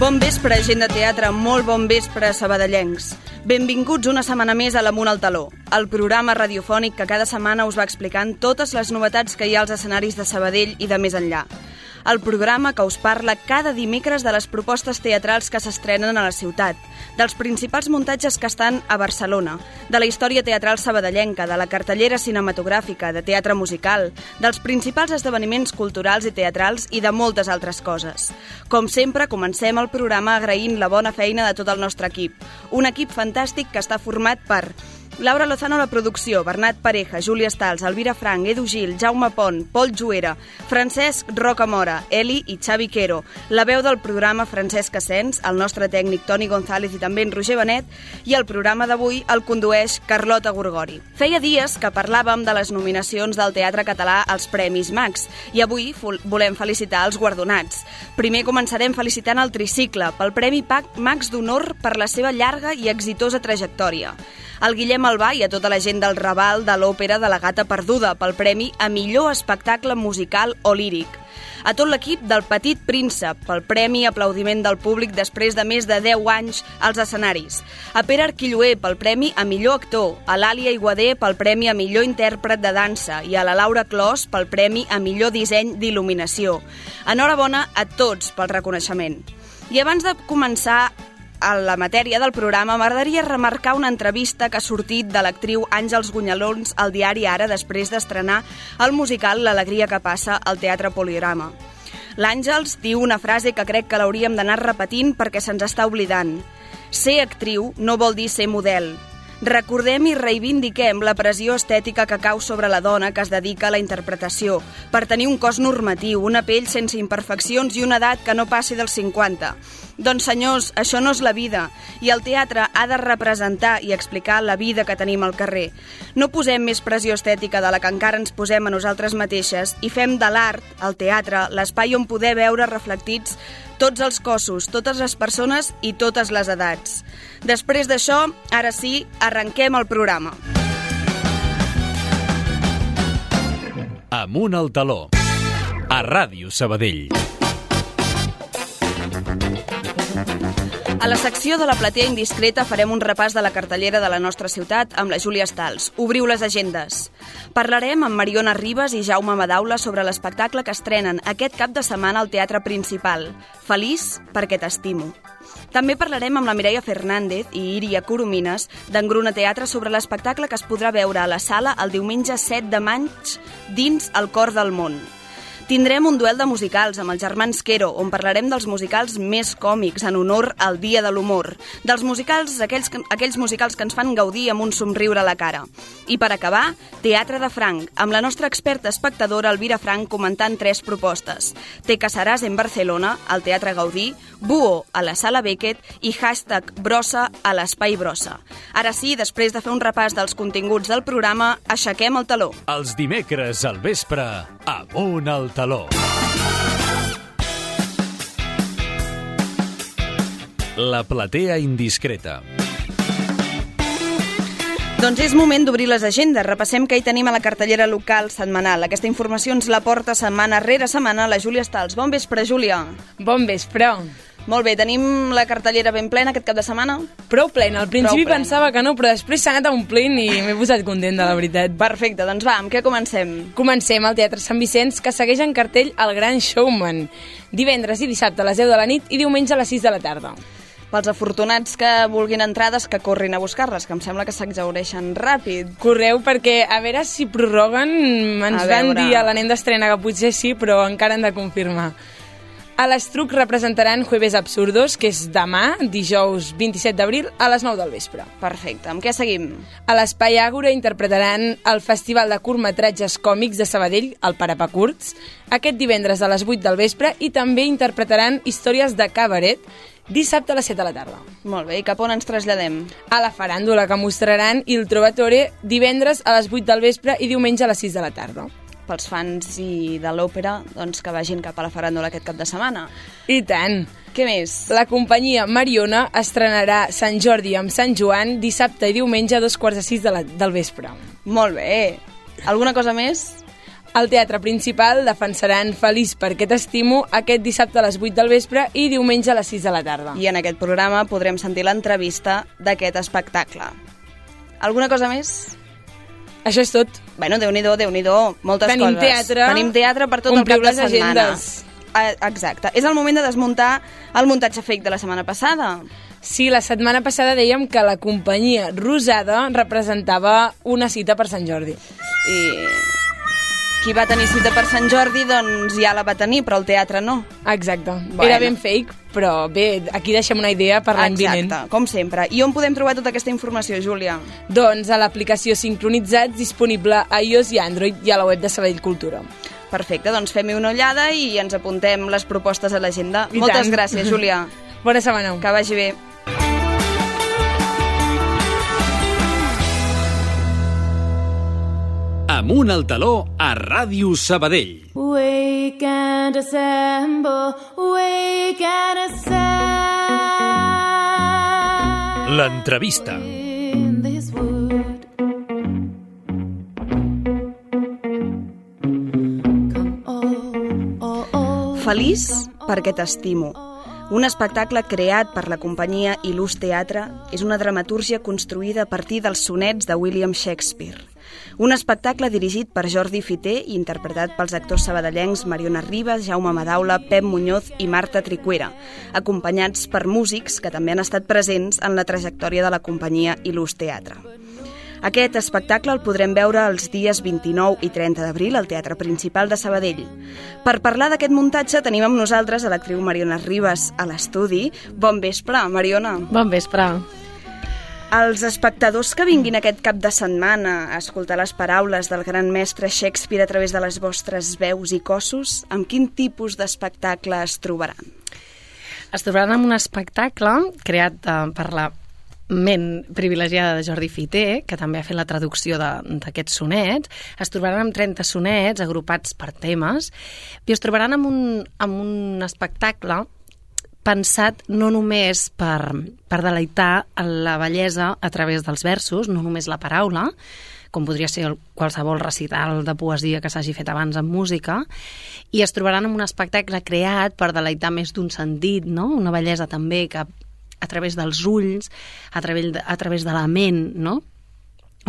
Bon vespre, gent de teatre, molt bon vespre, sabadellencs. Benvinguts una setmana més a l'Amunt al Taló, el programa radiofònic que cada setmana us va explicant totes les novetats que hi ha als escenaris de Sabadell i de més enllà. El programa que us parla cada dimecres de les propostes teatrals que s'estrenen a la ciutat, dels principals muntatges que estan a Barcelona, de la història teatral sabadellenca, de la cartellera cinematogràfica, de teatre musical, dels principals esdeveniments culturals i teatrals i de moltes altres coses. Com sempre, comencem el programa agraint la bona feina de tot el nostre equip. Un equip fantàstic que està format per Laura Lozano a la producció, Bernat Pareja, Júlia Stals, Elvira Frank, Edu Gil, Jaume Pont, Pol Juera, Francesc Rocamora, Eli i Xavi Quero, la veu del programa Francesc Asens, el nostre tècnic Toni González i també en Roger Benet, i el programa d'avui el condueix Carlota Gorgori. Feia dies que parlàvem de les nominacions del teatre català als Premis Max i avui volem felicitar els guardonats. Primer començarem felicitant el Tricicle pel Premi Max d'Honor per la seva llarga i exitosa trajectòria. El Guillem Albà i a tota la gent del Raval de l'Òpera de la Gata Perduda pel Premi a Millor Espectacle Musical o Líric. A tot l'equip del Petit Príncep pel Premi Aplaudiment del Públic després de més de 10 anys als escenaris. A Pere Arquilloé pel Premi a Millor Actor, a l'Àlia Iguader pel Premi a Millor Intèrpret de Dansa i a la Laura Clos pel Premi a Millor Disseny d'Il·luminació. Enhorabona a tots pel reconeixement. I abans de començar a la matèria del programa, m'agradaria remarcar una entrevista que ha sortit de l'actriu Àngels Gunyalons al diari Ara després d'estrenar el musical L'alegria que passa al Teatre Poliorama. L'Àngels diu una frase que crec que l'hauríem d'anar repetint perquè se'ns està oblidant. Ser actriu no vol dir ser model. Recordem i reivindiquem la pressió estètica que cau sobre la dona que es dedica a la interpretació, per tenir un cos normatiu, una pell sense imperfeccions i una edat que no passi dels 50. Doncs senyors, això no és la vida, i el teatre ha de representar i explicar la vida que tenim al carrer. No posem més pressió estètica de la que encara ens posem a nosaltres mateixes i fem de l'art, el teatre, l'espai on poder veure reflectits tots els cossos, totes les persones i totes les edats. Després d'això, ara sí, arrenquem el programa. Amunt al Taló, a Ràdio Sabadell. A la secció de la platea indiscreta farem un repàs de la cartellera de la nostra ciutat amb la Júlia Stals. Obriu les agendes. Parlarem amb Mariona Ribas i Jaume Madaula sobre l'espectacle que estrenen aquest cap de setmana al Teatre Principal. Feliç perquè t'estimo. També parlarem amb la Mireia Fernández i Iria Coromines d'Engruna Teatre sobre l'espectacle que es podrà veure a la sala el diumenge 7 de maig dins El cor del món. Tindrem un duel de musicals amb els germans Quero, on parlarem dels musicals més còmics en honor al Dia de l'Humor, dels musicals, aquells musicals que ens fan gaudir amb un somriure a la cara. I per acabar, Teatre de Franc, amb la nostra experta espectadora Elvira Frank comentant 3 propostes. Te casaràs en Barcelona, al Teatre Gaudí, Búho a la Sala Beckett i #Brossa a l'Espai Brossa. Ara sí, després de fer un repàs dels continguts del programa, aixequem el taló. Els dimecres al vespre, Amunt al Taló. La platea indiscreta. Doncs és moment d'obrir les agendes. Repassem què hi tenim a la cartellera local setmanal. Aquesta informació ens la porta setmana rere setmana la Júlia Stals. Bon vespre, Júlia. Bon vespre. Molt bé, tenim la cartellera ben plena aquest cap de setmana? Prou plena. Al principi pensava que no, però després s'ha anat omplint i m'he posat contenta, la veritat. Perfecte, doncs va, amb què comencem? Comencem al Teatre Sant Vicenç, que segueix en cartell El Gran Showman. Divendres i dissabte a les 10 de la nit i diumenge a les 6 de la tarda. Pels afortunats que vulguin entrades, que corrin a buscar-les, que em sembla que s'exhaureixen ràpid. Correu, perquè a veure si prorroguen, ens van dir a la nit d'estrena que potser sí, però encara han de confirmar. A l'Estruc representaran Jueves Absurdos, que és demà, dijous 27 d'abril, a les 9 del vespre. Perfecte. Amb què seguim? A l'Espai Àgora interpretaran el Festival de Curtmetratges Còmics de Sabadell, el Parapacurts, aquest divendres a les 8 del vespre, i també interpretaran històries de cabaret, dissabte a les 7 de la tarda. Molt bé, i cap on ens traslladem? A la faràndula, que mostraran Il Trovatore divendres a les 8 del vespre i diumenge a les 6 de la tarda. Pels fans i de l'òpera, doncs que vagin cap a la faràndula aquest cap de setmana. I tant! Què més? La companyia Mariona estrenarà Sant Jordi amb Sant Joan dissabte i diumenge a 5:45 del vespre. Molt bé! Alguna cosa més? Al Teatre Principal defensaran Feliç perquè t'estimo aquest dissabte a les 8 del vespre i diumenge a les 6 de la tarda. I en aquest programa podrem sentir l'entrevista d'aquest espectacle. Alguna cosa més? Això és tot. Bueno, Déu-n'hi-do, moltes Tenim coses. teatre, Tenim teatre per tot el ompliu cap de les setmana. agendes. Exacte. És el moment de desmuntar el muntatge fake de la setmana passada. Sí, la setmana passada dèiem que la companyia Rosada representava una cita per Sant Jordi. I qui va tenir cita per Sant Jordi, doncs ja la va tenir, però el teatre no. Exacte. Bueno. Era ben fake, però bé, aquí deixem una idea per l'any vinent. Exacte, com sempre. I on podem trobar tota aquesta informació, Júlia? Doncs a l'aplicació Sincronitzats, disponible a iOS i Android, i a la web de Sabadell Cultura. Perfecte, doncs fem-hi una ullada i ens apuntem les propostes a l'agenda. I Moltes tant. gràcies, Júlia. Bona setmana. Que vagi bé. Amunt al taló a Ràdio Sabadell. Wake and assemble, wake and assemble. L'entrevista. In this wood. Come all. Feliç perquè t'estimo. Un espectacle creat per la companyia Il·lus Teatre és una dramatúrgia construïda a partir dels sonets de William Shakespeare. Un espectacle dirigit per Jordi Fiter i interpretat pels actors sabadellencs Mariona Ribas, Jaume Madaula, Pep Muñoz i Marta Tricuera, acompanyats per músics que també han estat presents en la trajectòria de la companyia Il·lus Teatre. Aquest espectacle el podrem veure els dies 29 i 30 d'abril al Teatre Principal de Sabadell. Per parlar d'aquest muntatge tenim amb nosaltres a l'actriu Mariona Ribas a l'estudi. Bon vespre, Mariona. Bon vespre. Els espectadors que vinguin aquest cap de setmana a escoltar les paraules del gran mestre Shakespeare a través de les vostres veus i cossos, amb quin tipus d'espectacle es trobaran? Es trobaran amb un espectacle creat per la ment privilegiada de Jordi Fiter, que també ha fet la traducció d'aquests sonets. Es trobaran amb 30 sonets agrupats per temes i es trobaran amb un espectacle pensat no només per deleitar la bellesa a través dels versos, no només la paraula, com podria ser qualsevol recital de poesia que s'hagi fet abans en música, i es trobaran amb un espectacle creat per deleitar més d'un sentit, no? Una bellesa també que a través dels ulls, a través de la ment, no?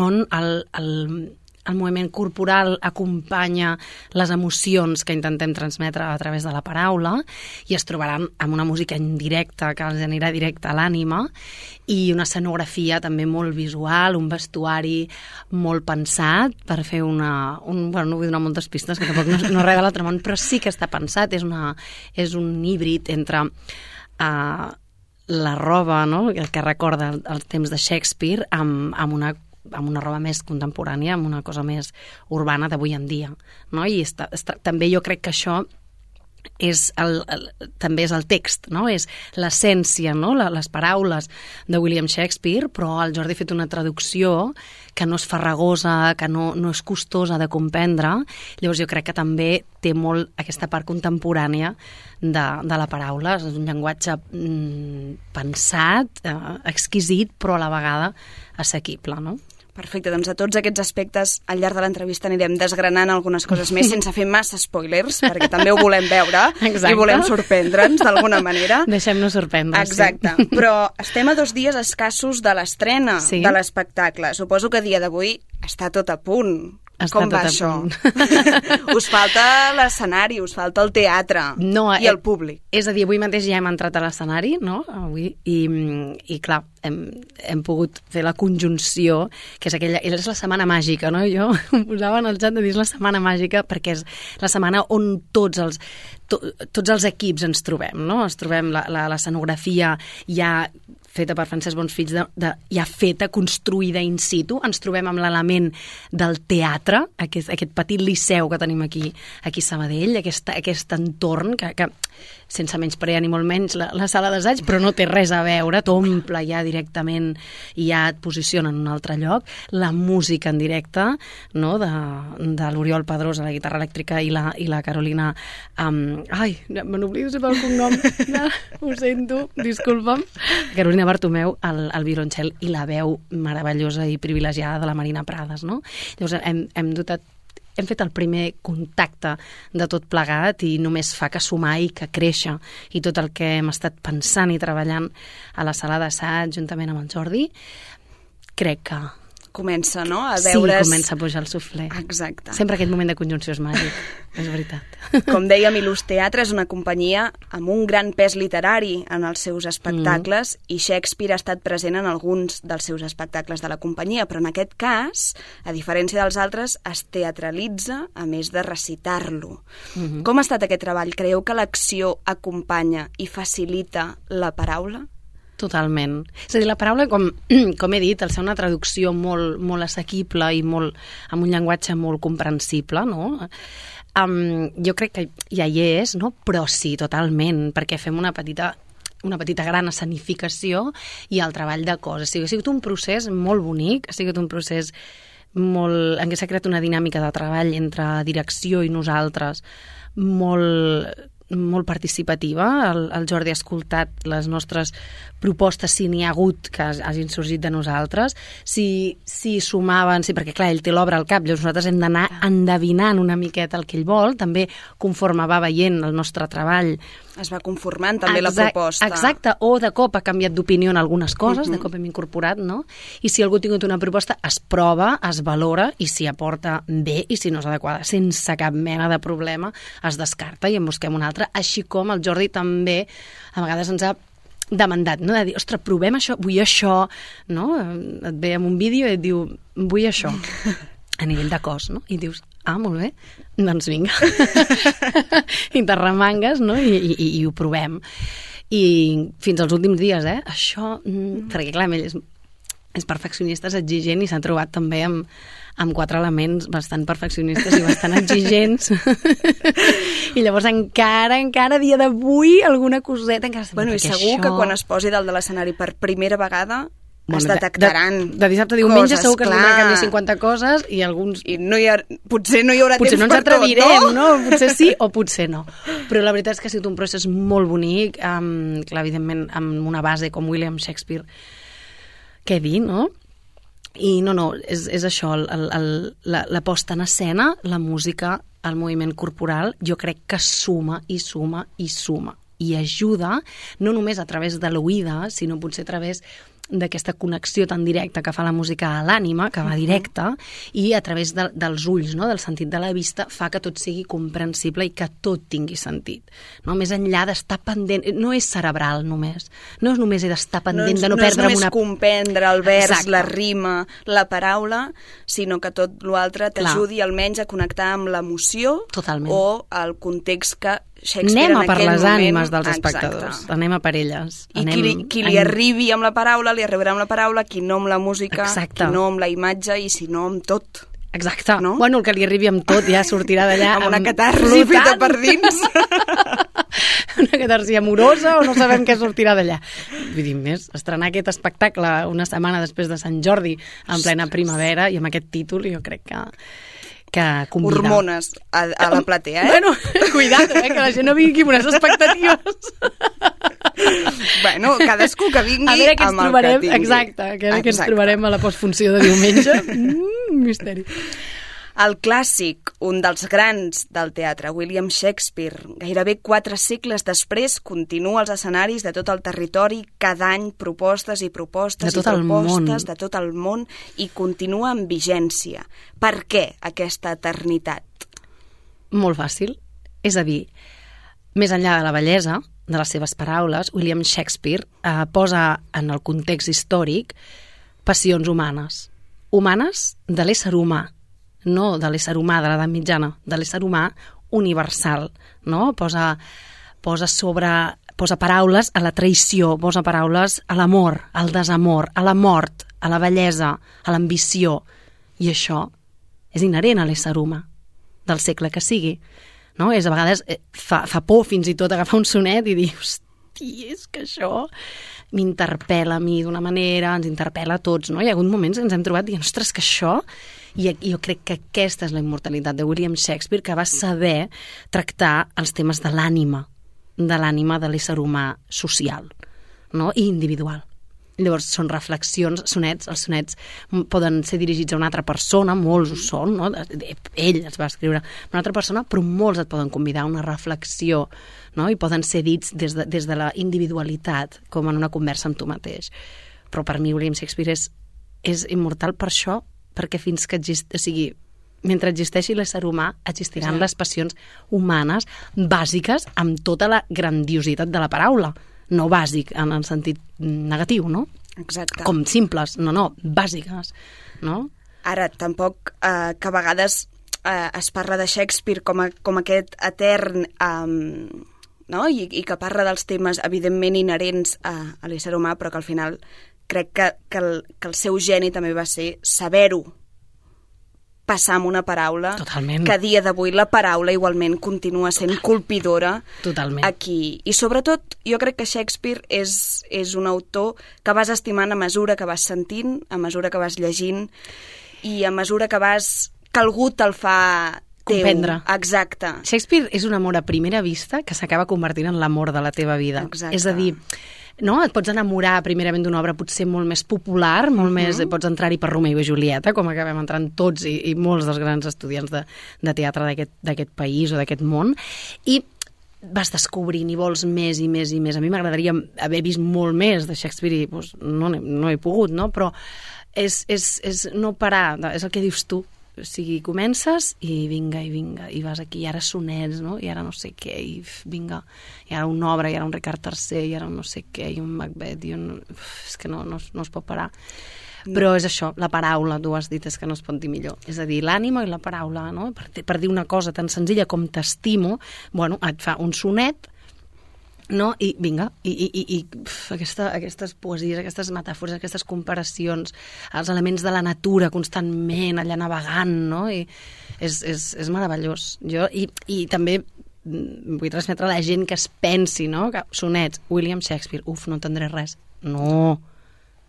On el moviment corporal acompanya les emocions que intentem transmetre a través de la paraula, i es trobaran amb una música en directe que els anirà directe a l'ànima, i una escenografia també molt visual, un vestuari molt pensat per fer bueno, no vull donar moltes pistes, que tampoc no res de l'altre món, però sí que està pensat, és un híbrid entre la roba, no?, que recorda els temps de Shakespeare amb una roba més contemporània, amb una cosa més urbana d'avui en dia, no? I també jo crec que això també és el text, no? És l'essència, no? Les paraules de William Shakespeare, però el Jordi ha fet una traducció que no és farragosa, que no és costosa de comprendre. Llavors jo crec que també té molt aquesta part contemporània de la paraula. És un llenguatge pensat, exquisit, però a la vegada assequible, no? Perfecte, doncs a tots aquests aspectes al llarg de l'entrevista anirem desgranant algunes coses més sense fer massa spoilers, perquè també ho volem veure. Exacte. I volem sorprendre'ns d'alguna manera. Deixem-nos sorprendre. Exacte, sí. Però estem a 2 dies escassos de l'estrena de l'espectacle. Suposo que a dia d'avui està tot a punt. Com va això? Us falta l'escenari, us falta el teatre i el públic. És a dir, avui mateix ja hem entrat a l'escenari, no? Avui, i clar, hem pogut fer la conjunció, que és és la setmana màgica, no? Jo em posava en el xat de dir la setmana màgica perquè és la setmana on tots els equips ens trobem, no? Ens trobem l'escenografia ja feta per Francesc Bonsfills, ja feta, construïda in situ. Ens trobem amb l'element del teatre, aquest petit liceu que tenim aquí a Sabadell, aquest entorn que sense menysprear ni molt menys la sala d'assaig, però no té res a veure, t'omple ja directament i ja et posiciona en un altre lloc. La música en directe, no?, de l'Oriol Pedrós a la guitarra elèctrica i la Carolina... me n'oblido sempre el cognom. Ho sento, disculpa'm. Carolina Bartomeu al violoncel i la veu meravellosa i privilegiada de la Marina Prades, no? Llavors hem dotat hem fet el primer contacte de tot plegat i només fa que sumar i que créixer. I tot el que hem estat pensant i treballant a la sala d'assaig juntament amb el Jordi, crec que... Comença, no?, a veure's... Sí, comença a pujar el suflé. Exacte. Sempre aquest moment de conjunció és màgic, és veritat. Com dèiem, Il·lus Teatre és una companyia amb un gran pes literari en els seus espectacles i Shakespeare ha estat present en alguns dels seus espectacles de la companyia, però en aquest cas, a diferència dels altres, es teatralitza a més de recitar-lo. Com ha estat aquest treball? Creieu que l'acció acompanya i facilita la paraula? Totalment. És a dir, la paraula, com he dit, al ser una traducció molt assequible i amb un llenguatge molt comprensible, no? Jo crec que ja hi és, no? Però sí, totalment, perquè fem una petita gran escenificació i el treball de cos. O sigui, ha sigut un procés molt bonic, ha sigut un procés en què s'ha creat una dinàmica de treball entre direcció i nosaltres molt participativa. El Jordi ha escoltat les nostres propostes, si n'hi ha hagut que hagin sorgit de nosaltres, si sumaven, perquè clar, ell té l'obra al cap, llavors nosaltres hem d'anar endevinant una miqueta el que ell vol, també conforme va veient el nostre treball. Es va conformant també la proposta. Exacte, o de cop ha canviat d'opinió en algunes coses, de cop hem incorporat, no? I si algú ha tingut una proposta, es prova, es valora, i si aporta bé, i si no és adequada, sense cap mena de problema, es descarta i en busquem una altra, així com el Jordi també a vegades ens ha demandat, no? De dir, ostres, provem això, vull això, no? Et ve amb un vídeo i et diu, vull això, a nivell de cos, no? I dius, molt bé, doncs vinga. I te remangues, no? I ho provem. I fins als últims dies, això, perquè clar, ell és perfeccionista, és exigent i s'ha trobat també amb 4 elements bastant perfeccionistes i bastant exigents. I llavors encara a dia d'avui alguna coseta encara... Bueno, i segur que quan es posi dalt de l'escenari per primera vegada es detectaran de dissabte a diumenge segur que es vindrà a canviar 50 coses i alguns... I potser no hi haurà temps per tot, no? Potser no ens atrevirem, no? Potser sí o potser no. Però la veritat és que ha sigut un procés molt bonic, clar, evidentment, amb una base com William Shakespeare, què dir, no? I no, és això, la posta en escena, la música, el moviment corporal, jo crec que suma i suma i suma. I ajuda, no només a través de l'oïda, sinó potser a través d'aquesta connexió tan directa que fa la música a l'ànima, que va directa, i a través dels ulls, no? Del sentit de la vista, fa que tot sigui comprensible i que tot tingui sentit. No? Més enllà d'estar pendent... No és cerebral només. No és només d'estar pendent, de no perdre una... No és només comprendre el vers, la rima, la paraula, sinó que tot l'altre t'ajudi almenys a connectar amb l'emoció o el context que Shakespeare anem en aquell moment... Anem a per les ànimes dels espectadors, anem a per elles. I qui li arribi amb la paraula, li arribarà amb la paraula, qui no amb la música, qui no amb la imatge i si no amb tot. Exacte. No? Bueno, el que li arribi amb tot ja sortirà d'allà... amb una catarsi feta per dins. Una catarsi amorosa o no sabem què sortirà d'allà. Vull dir, més, estrenar aquest espectacle una setmana després de Sant Jordi en plena primavera i amb aquest títol jo crec que convida. Hormones a la platea, Bueno, cuidado, que la gent no vingui amb unes expectatives. Bueno, cadascú que vingui a veure què amb el que tingui. Exacte, a veure què ens trobarem a la postfunció de diumenge. Misteri. El clàssic, un dels grans del teatre, William Shakespeare, gairebé 4 segles després, continua als escenaris de tot el territori, cada any propostes i propostes de tot el món i continua en vigència. Per què aquesta eternitat? Molt fàcil. És a dir, més enllà de la bellesa de les seves paraules, William Shakespeare posa en el context històric passions humanes. Humanes de l'ésser humà, no de l'ésser humà de l'edat mitjana, de l'ésser humà universal, no? Posa paraules a la traïció, posa paraules a l'amor, al desamor, a la mort, a la bellesa, a l'ambició. I això és inherent a l'ésser humà, del segle que sigui. No? A vegades fa por fins i tot agafar un sonet i dir, hosti, és que això m'interpel·la a mi d'una manera, ens interpel·la a tots, no? Hi ha hagut moments que ens hem trobat dient, ostres, que això... I jo crec que aquesta és la immortalitat de William Shakespeare, que va saber tractar els temes de l'ànima de l'ésser humà social, no? I individual. Llavors són reflexions, sonets, els sonets poden ser dirigits a una altra persona, molts ho són, no? Ell els va escriure a una altra persona, però molts et poden convidar a una reflexió, no? I poden ser dits des de la individualitat, com en una conversa amb tu mateix. Però per mi William Shakespeare és immortal per això, perquè fins que mentre existeixi l'ésser humà, existiran les passions humanes bàsiques amb tota la grandiositat de la paraula. No bàsic en el sentit negatiu, no? Exacte. Com simples, no, bàsiques, no? Ara, tampoc que a vegades es parla de Shakespeare com aquest etern, no? I que parla dels temes, evidentment, inherents a l'ésser humà, però que al final crec que el seu geni també va ser saber-ho passar amb una paraula. Totalment. Que a dia d'avui la paraula igualment continua sent colpidora. Totalment. Aquí. I sobretot, jo crec que Shakespeare és un autor que vas estimant a mesura que vas sentint, a mesura que vas llegint i a mesura que algú te'l fa teu. Comprendre. Exacte. Shakespeare és un amor a primera vista que s'acaba convertint en l'amor de la teva vida. Exacte. És a dir, no? Et pots enamorar primerament d'una obra potser molt més popular, molt més, pots entrar-hi per Romeo i Julieta, com acabem entrant tots i molts dels grans estudiants de teatre d'aquest país o d'aquest món, i vas descobrint i vols més i més i més. A mi m'agradaria haver vist molt més de Shakespeare i doncs, no he pogut, no? Però és no parar, és el que dius tu. O sigui, comences i vinga, i vas aquí, i ara sonets, no? I ara no sé què, i vinga, i ara una obra, i ara un Ricard III, i ara un no sé què, i un Macbeth, és que no es pot parar. Però és això, la paraula, tu has dit, és que no es pot dir millor. És a dir, l'ànima i la paraula, no? Per dir una cosa tan senzilla com t'estimo, bueno, et fa un sonet, no? I vinga, aquestes poesies, aquestes metàfores, aquestes comparacions, els elements de la natura constantment allà navegant, no? I és meravellós. I també vull transmetre a la gent que es pensi, no? Que sonets, William Shakespeare, no entendré res. No,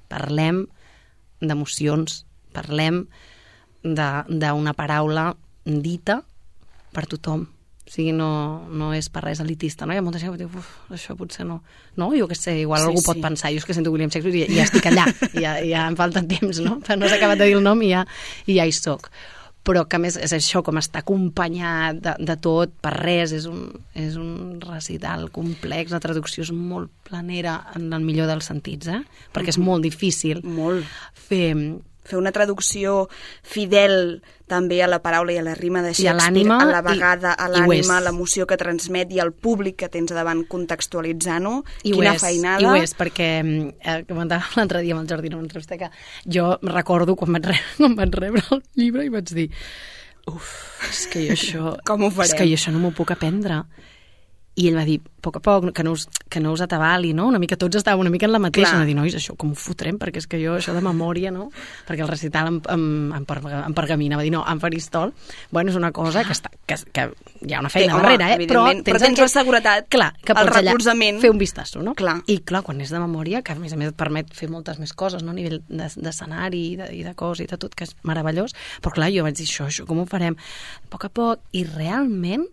parlem d'emocions, parlem d'una paraula dita per tothom. O sigui, no és per res elitista, no? Hi ha molta gent que diu, això potser no. No, jo què sé, igual algú pot pensar, jo és que sento William Shakespeare i ja estic allà, ja em falta temps, no? Però no s'ha acabat de dir el nom i ja hi soc. Però que a més és això, com està acompanyat de tot, per res, és un recital complex, la traducció és molt planera en el millor dels sentits, perquè és molt difícil fer una traducció fidel també a la paraula i a la rima de Shakespeare, a la vegada a l'ànima, a l'emoció que transmet i al públic que tens davant contextualitzant-ho. Quina feinada. I ho és, perquè comentàvem l'altre dia amb el Jordi en una entrevista que jo recordo quan vaig rebre el llibre i vaig dir és que jo això com ho farem? És que jo això no m'ho puc aprendre. I ell va dir, a poc, que no us atabali, no? Una mica tots estàvem una mica en la mateixa. Anar a dir, nois, això com ho fotrem? Perquè és que jo, això de memòria, no? Perquè el recital en pergamina, va dir, no, en faristol. Bueno, és una cosa que hi ha una feina darrere, però tens la seguretat, el recolzament. Fer un vistazo, no? Clar. I clar, quan és de memòria, que a més et permet fer moltes més coses, no? A nivell d'escenari i de cos i de tot, que és meravellós. Però clar, jo vaig dir, això com ho farem? A poc, i realment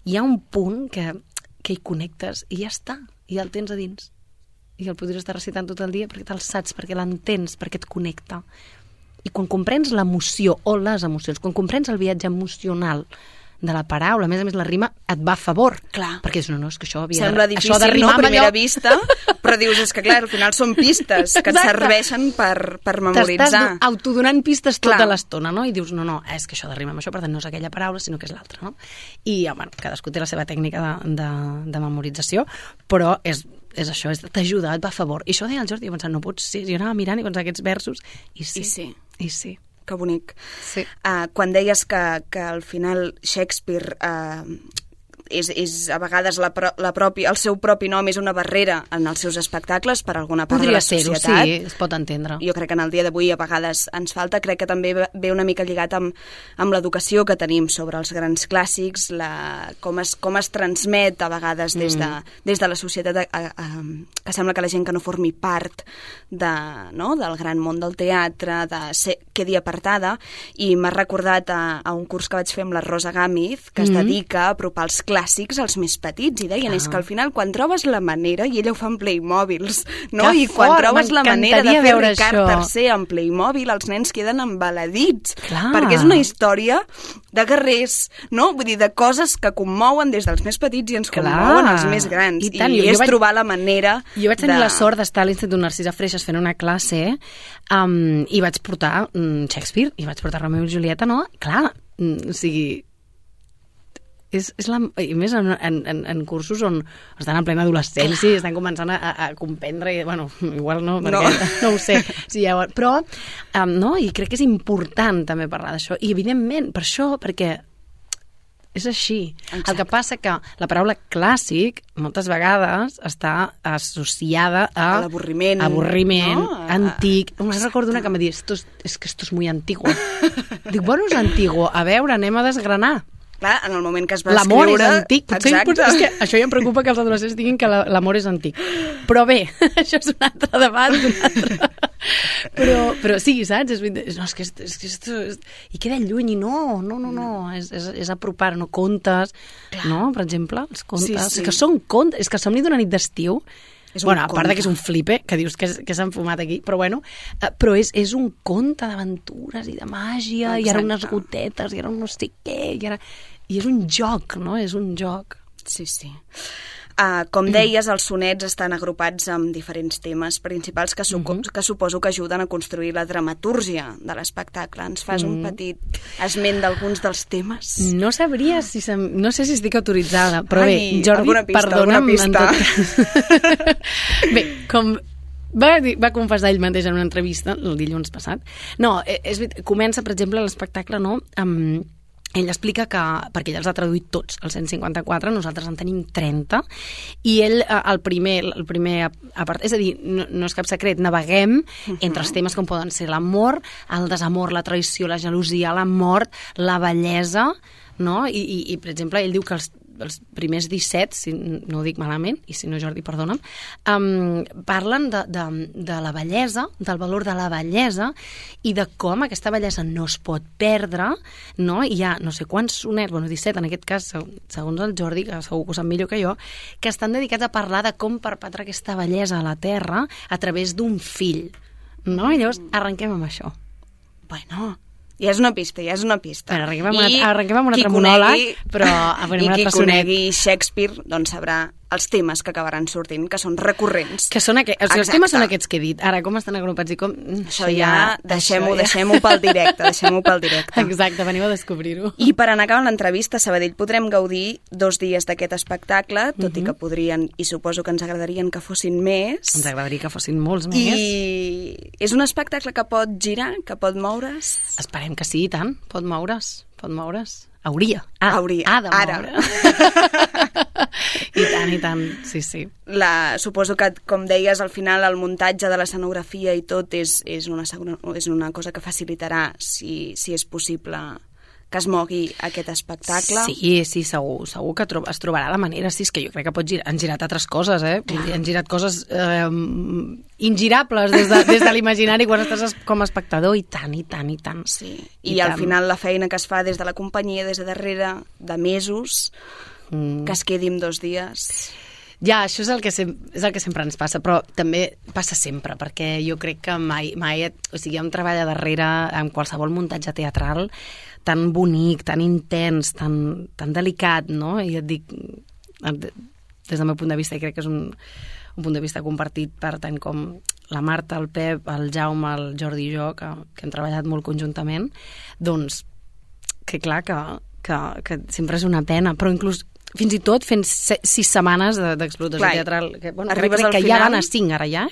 hi ha un punt que hi connectes i ja està, i el tens a dins. I el podries estar recitant tot el dia perquè te'l saps, perquè l'entens, perquè et connecta. I quan comprens l'emoció o les emocions, quan comprens el viatge emocional de la paraula, a més la rima et va a favor. Clar. Perquè dius, no, és que això havia sembla difícil, això de rimar a primera vista, però dius, és que clar, al final són pistes que et serveixen per memoritzar. T'estàs autodonant pistes tota l'estona, no? I dius, no, és que això de rimar amb això, per tant, no és aquella paraula, sinó que és l'altra, no? I, bueno, cadascú té la seva tècnica de memorització, però és això, t'ajuda, et va a favor. I això deia el Jordi, jo pensava, no pot ser, jo anava mirant i pensava aquests versos, i sí. Que bonic. Sí. Quan deies que al final Shakespeare és a vegades el seu propi nom és una barrera en els seus espectacles per alguna part de la societat. Podria ser-ho, sí, es pot entendre. Jo crec que en el dia d'avui a vegades ens falta, crec que també ve una mica lligat amb l'educació que tenim sobre els grans clàssics, com es transmet a vegades des de la societat que sembla que la gent que no formi part del gran món del teatre quedi apartada, i m'ha recordat a un curs que vaig fer amb la Rosa Gámez, que es dedica a apropar els clàssics clàssics als més petits, i deien, és que al final quan trobes la manera, i ella ho fa en Playmobils, no? Que I quan fort, trobes la manera de fer veure Ricard això. III en Playmobil, els nens queden embaladits, Clar. perquè és una història de guerrers, no? Vull dir, de coses que commouen des dels més petits i ens commouen els més grans. I tant, I jo és trobar la manera Jo vaig tenir la sort d'estar a l'Institut Narcisa Freixas fent una classe i vaig portar Shakespeare, i vaig portar Romeu i Julieta, no? Clar, o sigui... I més en cursos on estan en plena adolescència i estan començant a comprendre, i, bueno, igual no, perquè no ho sé, sí, ja, però no, i crec que és important també parlar d'això, i evidentment per això, perquè és així. Exacte. El que passa que la paraula clàssic moltes vegades està associada a l'avorriment, no? Antic. Només recordo una que em va dir, és que esto es muy antiguo. Dic, bueno, és antiguo. A veure, anem a desgranar. Clar, en el moment que es va L'amor escriure... és antic. Potser és que això ja em preocupa que els adolescents diguin que l'amor és antic. Però bé, això és un altre debat. Però sí, saps? No, és que i queda lluny, i no. És apropar, no? Contes, no? Per exemple, els contes. Sí. És que són contes, és que somni d'una nit d'estiu. Bueno, a part de que és un flipe, que dius que s'han fumat aquí, però bueno, però és un conte d'aventures i de màgia, i ara unes gotetes, i ara un no sé què, i és un joc, no? És un joc. Sí. Com deies, els sonets estan agrupats amb diferents temes principals que suposo que ajuden a construir la dramatúrgia de l'espectacle. Ens fas un petit esment d'alguns dels temes? No sabria no sé si estic autoritzada, però bé, Jordi, alguna pista. Bé, com va confessar ell mateix en una entrevista el dilluns passat. No, comença, per exemple, l'espectacle, no?, ell explica que, perquè ell els ha traduït tots, els 154, nosaltres en tenim 30, i ell, el primer apartat, és a dir, no és cap secret, naveguem entre els temes com poden ser l'amor, el desamor, la traïció, la gelosia, la mort, la bellesa, no? I per exemple, ell diu que els primers 17, si no ho dic malament, i si no, Jordi, perdona'm, parlen de la bellesa, del valor de la bellesa, i de com aquesta bellesa no es pot perdre, no? Hi ha no sé quants sonets, 17 en aquest cas, segons el Jordi, que segur que ho sap millor que jo, que estan dedicats a parlar de com perpetre aquesta bellesa a la Terra a través d'un fill, no? I llavors arrenquem amb això. Bueno... Ja és una pista. Però arrenquem amb un altre monòleg, però i qui conegui Shakespeare doncs sabrà els temes que acabaran sortint, que són recurrents. Que són els temes són aquests que he dit. Ara, com estan agrupats i com... Això ja deixem-ho pel directe, Exacte, veniu a descobrir-ho. I per anar acabant l'entrevista, a Sabadell podrem gaudir 2 dies d'aquest espectacle, tot i que podrien, i suposo que ens agradarien que fossin més. Ens agradaria que fossin molts més. I és un espectacle que pot girar, que pot moure's? Esperem que sí, i tant. Pot moure's. Hauria. Ha de moure. I tant, sí. Suposo que, com deies, al final el muntatge de l'escenografia i tot és una cosa que facilitarà, si és possible, que es mogui aquest espectacle. Sí, segur que es trobarà la manera. Sí, és que jo crec que han girat altres coses, han girat coses ingirables des de l'imaginari quan estàs com a espectador, i tant. Sí, i al final la feina que es fa des de la companyia, des de darrere, de mesos, que es quedi en 2 dies... Ja, això és el que sempre ens passa, però també passa sempre, perquè jo crec que mai o sigui, hi ha un treball a darrere en qualsevol muntatge teatral tan bonic, tan intens, tan delicat, no? I et dic, des del meu punt de vista, i crec que és un punt de vista compartit per tant com la Marta, el Pep, el Jaume, el Jordi i jo, que hem treballat molt conjuntament, doncs, que clar, que sempre és una pena, però inclús fins i tot fent 6 setmanes d'explotació teatral, que, crec que ja van a 5 ara ja,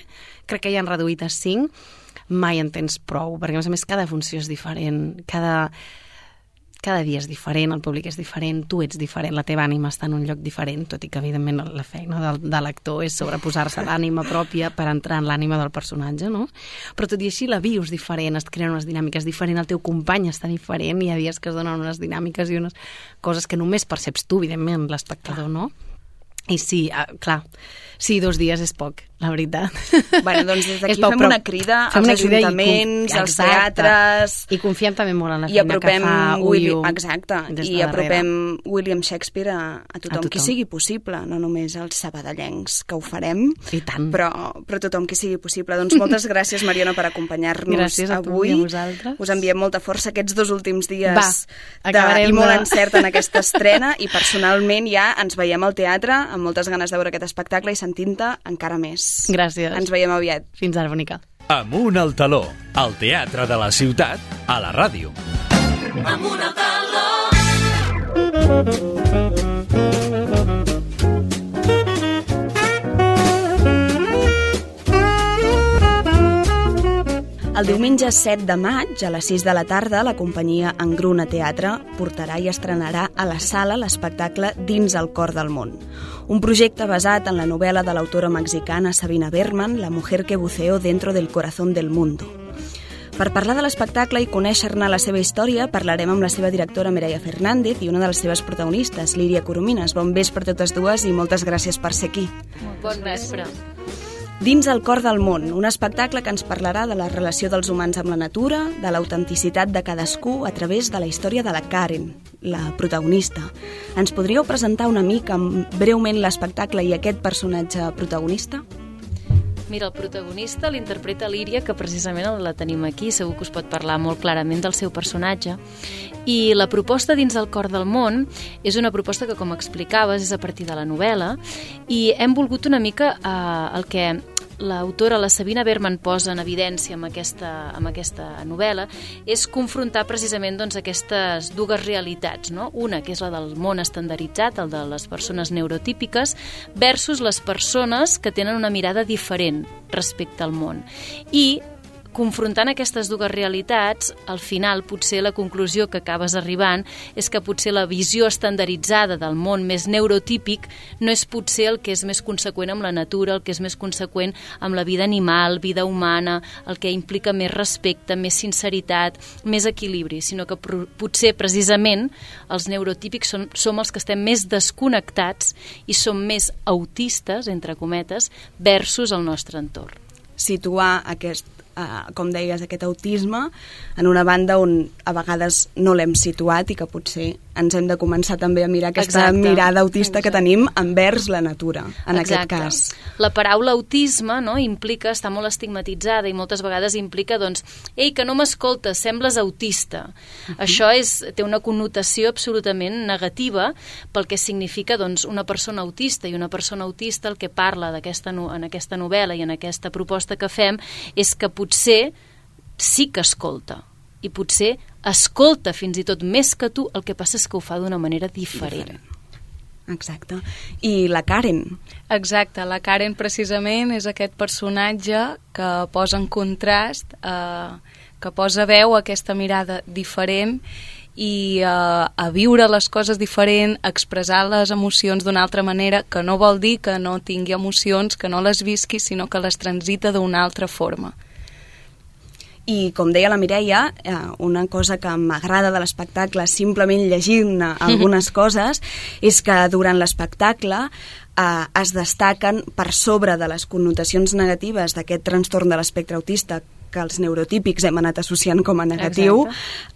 crec que ja han reduït a 5, mai en tens prou, perquè a més cada funció és diferent, cada dia és diferent, el públic és diferent, tu ets diferent, la teva ànima està en un lloc diferent, tot i que evidentment la feina de l'actor és sobreposar-se l'ànima pròpia per entrar en l'ànima del personatge, no? Però tot i així la vius diferent, es creen unes dinàmiques diferents, el teu company està diferent, hi ha dies que es donen unes dinàmiques i unes coses que només perceps tu, evidentment, l'espectador, no? I sí, clar, sí, 2 dies és poc. la veritat. Bueno, doncs des d'aquí fem una crida als ajuntaments, als teatres... I confiem també molt en la feina que fa UIU. Exacte, i apropem William Shakespeare a tothom qui sigui possible, no només als sabadellencs, que ho farem, I tant. Però tothom qui sigui possible. Doncs moltes gràcies, Mariona, per acompanyar-nos avui. A vosaltres. Us enviem molta força aquests 2 últims dies i molt encert en aquesta estrena, i personalment ja ens veiem al teatre amb moltes ganes de veure aquest espectacle i sentint-te encara més. Gràcies. Ens veiem aviat. Fins ara, bonica. Amunt al taló, al teatre de la ciutat, a la ràdio. Amunt al taló. El diumenge 7 de maig, a les 6 de la tarda, la companyia Engruna Teatre portarà i estrenarà a la sala l'espectacle Dins el cor del món. Un projecte basat en la novel·la de l'autora mexicana Sabina Berman, La mujer que buceó dentro del corazón del mundo. Per parlar de l'espectacle i conèixer-ne la seva història, parlarem amb la seva directora Mireia Fernández i una de les seves protagonistes, Líria Coromines. Bon vespre a totes dues i moltes gràcies per ser aquí. Bon vespre. Dins el cor del món, un espectacle que ens parlarà de la relació dels humans amb la natura, de l'autenticitat de cadascú a través de la història de la Karen, la protagonista. Ens podríeu presentar una mica, breument, l'espectacle i aquest personatge protagonista? Mira, el protagonista l'interpreta Líria, que precisament la tenim aquí, segur que us pot parlar molt clarament del seu personatge. I la proposta Dins el cor del món és una proposta que, com explicaves, és a partir de la novel·la, i hem volgut una mica el que l'autora, la Sabina Berman, posa en evidència amb aquesta novel·la, és confrontar precisament doncs, aquestes dues realitats, no? Una, que és la del món estandarditzat, el de les persones neurotípiques, versus les persones que tenen una mirada diferent respecte al món. I confrontant aquestes dues realitats, al final potser la conclusió que acabes arribant és que potser la visió estandarditzada del món més neurotípic no és potser el que és més conseqüent amb la natura, el que és més conseqüent amb la vida animal, vida humana, el que implica més respecte, més sinceritat, més equilibri, sinó que potser precisament els neurotípics som els que estem més desconnectats i som més autistes, entre cometes, versus el nostre entorn. Situar com deies, aquest autisme en una banda on a vegades no l'hem situat i que potser ens hem de començar també a mirar aquesta mirada autista que tenim envers la natura, en aquest cas. La paraula autisme, no, implica, està molt estigmatitzada i moltes vegades implica, doncs, ei, que no m'escoltes, sembles autista. Això té una connotació absolutament negativa pel que significa, doncs, una persona autista, i una persona autista el que parla en aquesta novel·la i en aquesta proposta que fem és que potser sí que escolta, i potser escolta fins i tot més que tu, el que passa és que ho fa d'una manera diferent. Exacte. I la Karen? Exacte, la Karen precisament és aquest personatge que posa en contrast, que posa veu a aquesta mirada diferent i a viure les coses diferent, a expressar les emocions d'una altra manera, que no vol dir que no tingui emocions, que no les visqui, sinó que les transita d'una altra forma. I, com deia la Mireia, una cosa que m'agrada de l'espectacle, simplement llegir-ne algunes coses, és que durant l'espectacle es destaquen per sobre de les connotacions negatives d'aquest trastorn de l'espectre autista que els neurotípics hem anat associant com a negatiu,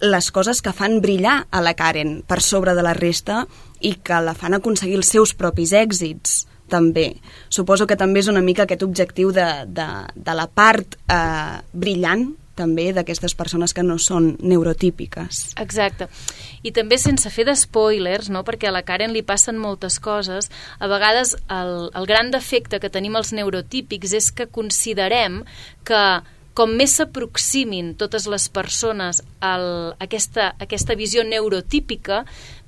les coses que fan brillar a la Karen per sobre de la resta i que la fan aconseguir els seus propis èxits. També. Suposo que també és una mica aquest objectiu de la part brillant també d'aquestes persones que no són neurotípiques. Exacte. I també sense fer d'espoilers, no? Perquè a la Karen li passen moltes coses. A vegades el gran defecte que tenim els neurotípics és que considerem que com més s'aproximin totes les persones a aquesta visió neurotípica,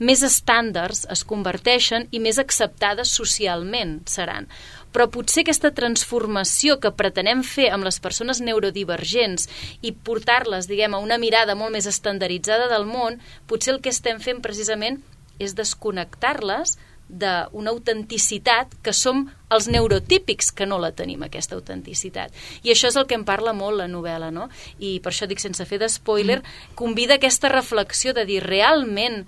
més estàndards es converteixen i més acceptades socialment seran. Però potser aquesta transformació que pretenem fer amb les persones neurodivergents i portar-les, diguem, a una mirada molt més estandarditzada del món, potser el que estem fent precisament és desconnectar-les d'una autenticitat que som els neurotípics que no la tenim, aquesta autenticitat. I això és el que em parla molt la novel·la, no? I per això dic, sense fer d'espoiler, convida aquesta reflexió de dir realment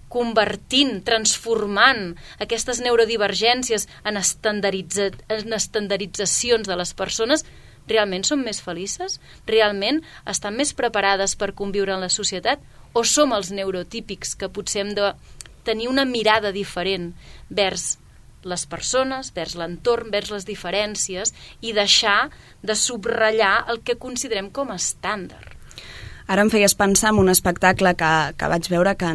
convertint, transformant aquestes neurodivergències en estandarditzacions de les persones, realment són més felices? Realment estan més preparades per conviure en la societat? O som els neurotípics que potser hem de tenir una mirada diferent vers les persones, vers l'entorn, vers les diferències i deixar de subratllar el que considerem com a estàndard? Ara em feies pensar en un espectacle que vaig veure que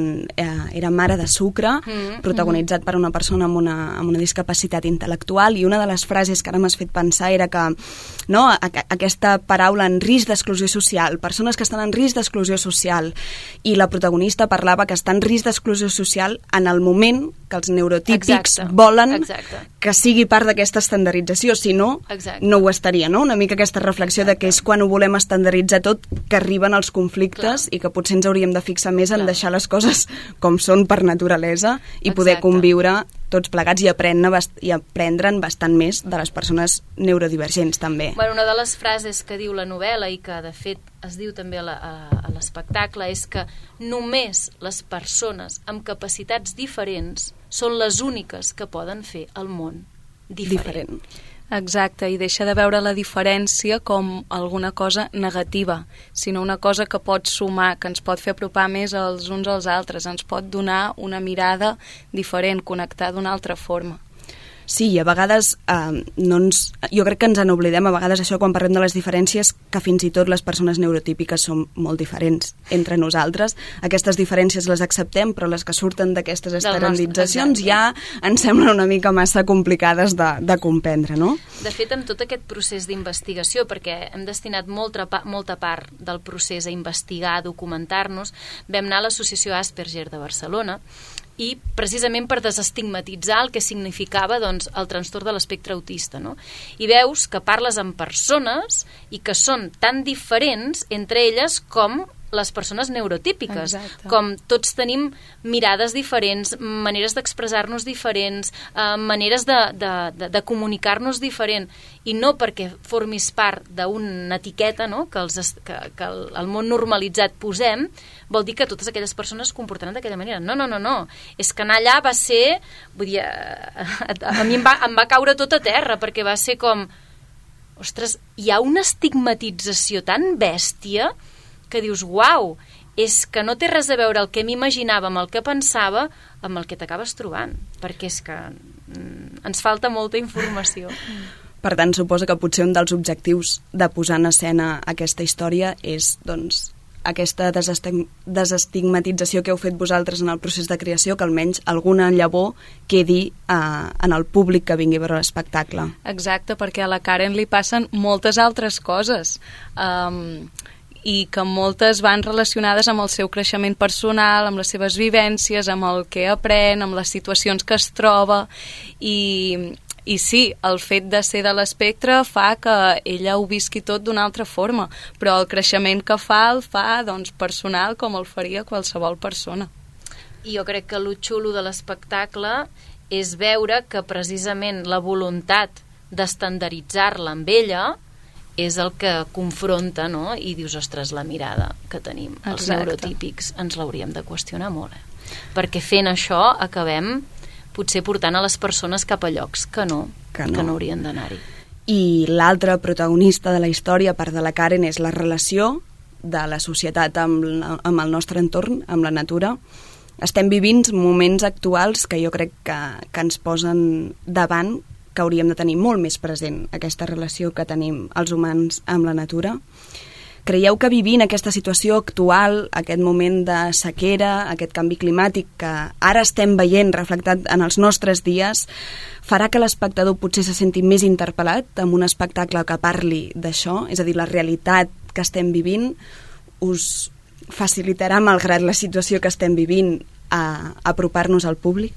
era Mare de sucre, protagonitzat per una persona amb una discapacitat intel·lectual, i una de les frases que ara m'has fet pensar era que aquesta paraula en risc d'exclusió social, persones que estan en risc d'exclusió social, i la protagonista parlava que està en risc d'exclusió social en el moment que els neurotípics volen que sigui part d'aquesta estandardització, si no, no ho estaria, no? Una mica aquesta reflexió de que és quan ho volem estandarditzar tot que arriben els conflictes i que potser ens hauríem de fixar més en deixar les coses com són per naturalesa i poder conviure tots plegats i aprendre'n bastant més de les persones neurodivergents també. Bueno, una de les frases que diu la novel·la i que de fet es diu també a l'espectacle és que només les persones amb capacitats diferents són les úniques que poden fer el món diferent. Exacte, i deixa de veure la diferència com alguna cosa negativa, sinó una cosa que pot sumar, que ens pot fer apropar més els uns als altres, ens pot donar una mirada diferent, connectar d'una altra forma. Sí, i a vegades jo crec que ens n'oblidem a vegades això quan parlem de les diferències, que fins i tot les persones neurotípiques són molt diferents entre nosaltres. Aquestes diferències les acceptem, però les que surten d'aquestes estandarditzacions ja ens semblen una mica massa complicades de comprendre, no? De fet, amb tot aquest procés d'investigació, perquè hem destinat molta part del procés a investigar, a documentar-nos, vam anar a l'Associació Asperger de Barcelona, i precisament per desestigmatitzar el que significava el trastorn de l'espectre autista, no? I veus que parles amb persones i que són tan diferents entre elles com les persones neurotípiques. Exacte. Com tots tenim mirades diferents, maneres d'expressar-nos diferents, maneres de comunicar-nos diferent, i no perquè formis part d'una etiqueta, no?, que el món normalitzat posem, vol dir que totes aquelles persones es comportaran d'aquella manera. No. És que anar allà va ser... Vull dir, a mi em va caure tot a terra, perquè va ser com... Ostres, hi ha una estigmatització tan bèstia que dius, uau, és que no té res a veure el que m'imaginava amb el que pensava amb el que t'acabes trobant, perquè és que ens falta molta informació. Per tant, suposo que potser un dels objectius de posar en escena aquesta història és, doncs, aquesta desestigmatització que heu fet vosaltres en el procés de creació, que almenys alguna llavor quedi en el públic que vingui a veure l'espectacle. Exacte, perquè a la Karen li passen moltes altres coses, i que moltes van relacionades amb el seu creixement personal, amb les seves vivències, amb el que aprèn, amb les situacions que es troba, i sí, el fet de ser de l'espectre fa que ella ho visqui tot d'una altra forma, però el creixement que fa el fa personal com el faria qualsevol persona. I jo crec que el xulo de l'espectacle és veure que precisament la voluntat d'estandarditzar-la amb ella és el que confronta, no? I dius, ostres, la mirada que tenim, els neurotípics, ens l'hauríem de qüestionar molt, perquè fent això acabem potser portant a les persones cap a llocs que no haurien d'anar-hi. I l'altre protagonista de la història, a part de la Karen, és la relació de la societat amb el nostre entorn, amb la natura. Estem vivint moments actuals que jo crec que ens posen davant que hauríem de tenir molt més present aquesta relació que tenim els humans amb la natura. Creieu que vivint aquesta situació actual, aquest moment de sequera, aquest canvi climàtic que ara estem veient reflectat en els nostres dies, farà que l'espectador potser se senti més interpel·lat amb un espectacle que parli d'això? És a dir, la realitat que estem vivint us facilitarà, malgrat la situació que estem vivint, a apropar-nos al públic?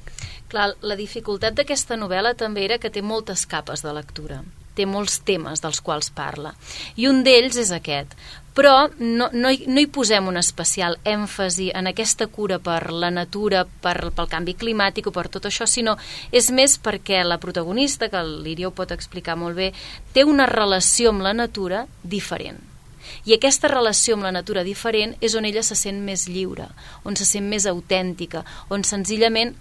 Clar, la dificultat d'aquesta novel·la també era que té moltes capes de lectura, té molts temes dels quals parla, i un d'ells és aquest, però no hi posem un especial èmfasi en aquesta cura per la natura, pel canvi climàtic o per tot això, sinó és més perquè la protagonista, que l'Iria ho pot explicar molt bé, té una relació amb la natura diferent. I aquesta relació amb la natura diferent és on ella se sent més lliure, on se sent més autèntica, on senzillament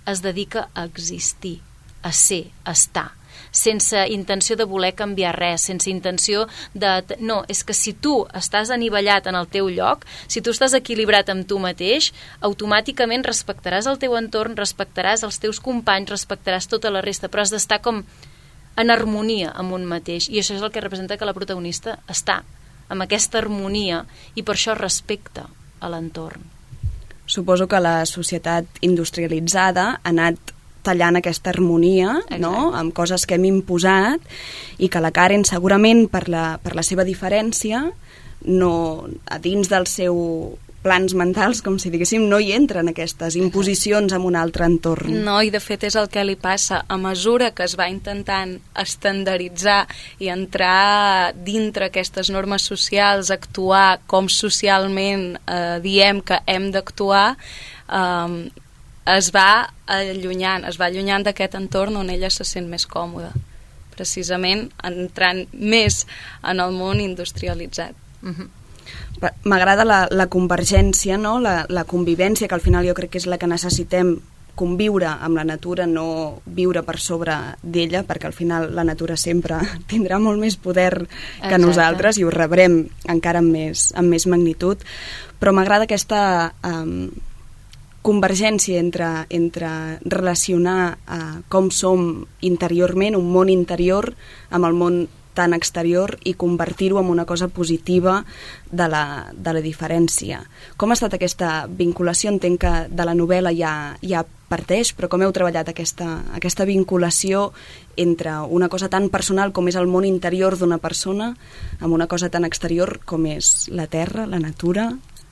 es dedica a existir, a ser, a estar, sense intenció de voler canviar res, sense intenció de... No, és que si tu estàs anivellat en el teu lloc, si tu estàs equilibrat amb tu mateix, automàticament respectaràs el teu entorn, respectaràs els teus companys, respectaràs tota la resta, però has d'estar com en harmonia amb un mateix, i això és el que representa que la protagonista està amb aquesta harmonia i per això respecta a l'entorn. Suposo que la societat industrialitzada ha anat tallant aquesta harmonia, no?, amb coses que hem imposat, i que la Karen segurament per la seva diferència no, a dins dels seus plans mentals, com si diguéssim, no hi entren aquestes imposicions en un altre entorn. No, i de fet és el que li passa. A mesura que es va intentant estandarditzar i entrar dintre aquestes normes socials, actuar com socialment diem que hem d'actuar, es va allunyant d'aquest entorn on ella se sent més còmoda, precisament entrant més en el món industrialitzat. M'agrada la convergència, no? La convivència, que al final jo crec que és la que necessitem, conviure amb la natura, no viure per sobre d'ella, perquè al final la natura sempre tindrà molt més poder que nosaltres i ho rebrem encara amb més magnitud, però m'agrada aquesta convergència entre relacionar com som interiorment, un món interior, amb el món tan exterior, i convertir-ho en una cosa positiva de la diferència. Com ha estat aquesta vinculació? Entenc que de la novel·la ja parteix, però com heu treballat aquesta vinculació entre una cosa tan personal com és el món interior d'una persona amb una cosa tan exterior com és la terra, la natura,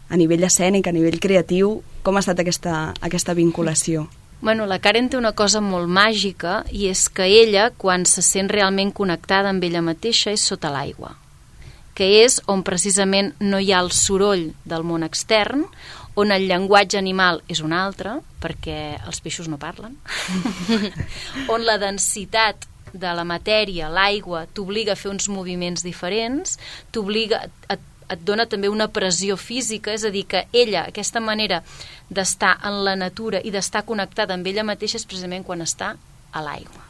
a nivell escènic, a nivell creatiu? Com ha estat aquesta vinculació? Bueno, la Karen té una cosa molt màgica, i és que ella, quan se sent realment connectada amb ella mateixa, és sota l'aigua, que és on precisament no hi ha el soroll del món extern, on el llenguatge animal és un altre, perquè els peixos no parlen, on la densitat de la matèria, l'aigua, t'obliga a fer uns moviments diferents, et dona també una pressió física, és a dir, que ella, aquesta manera d'estar en la natura i d'estar connectada amb ella mateixa és precisament quan està a l'aigua,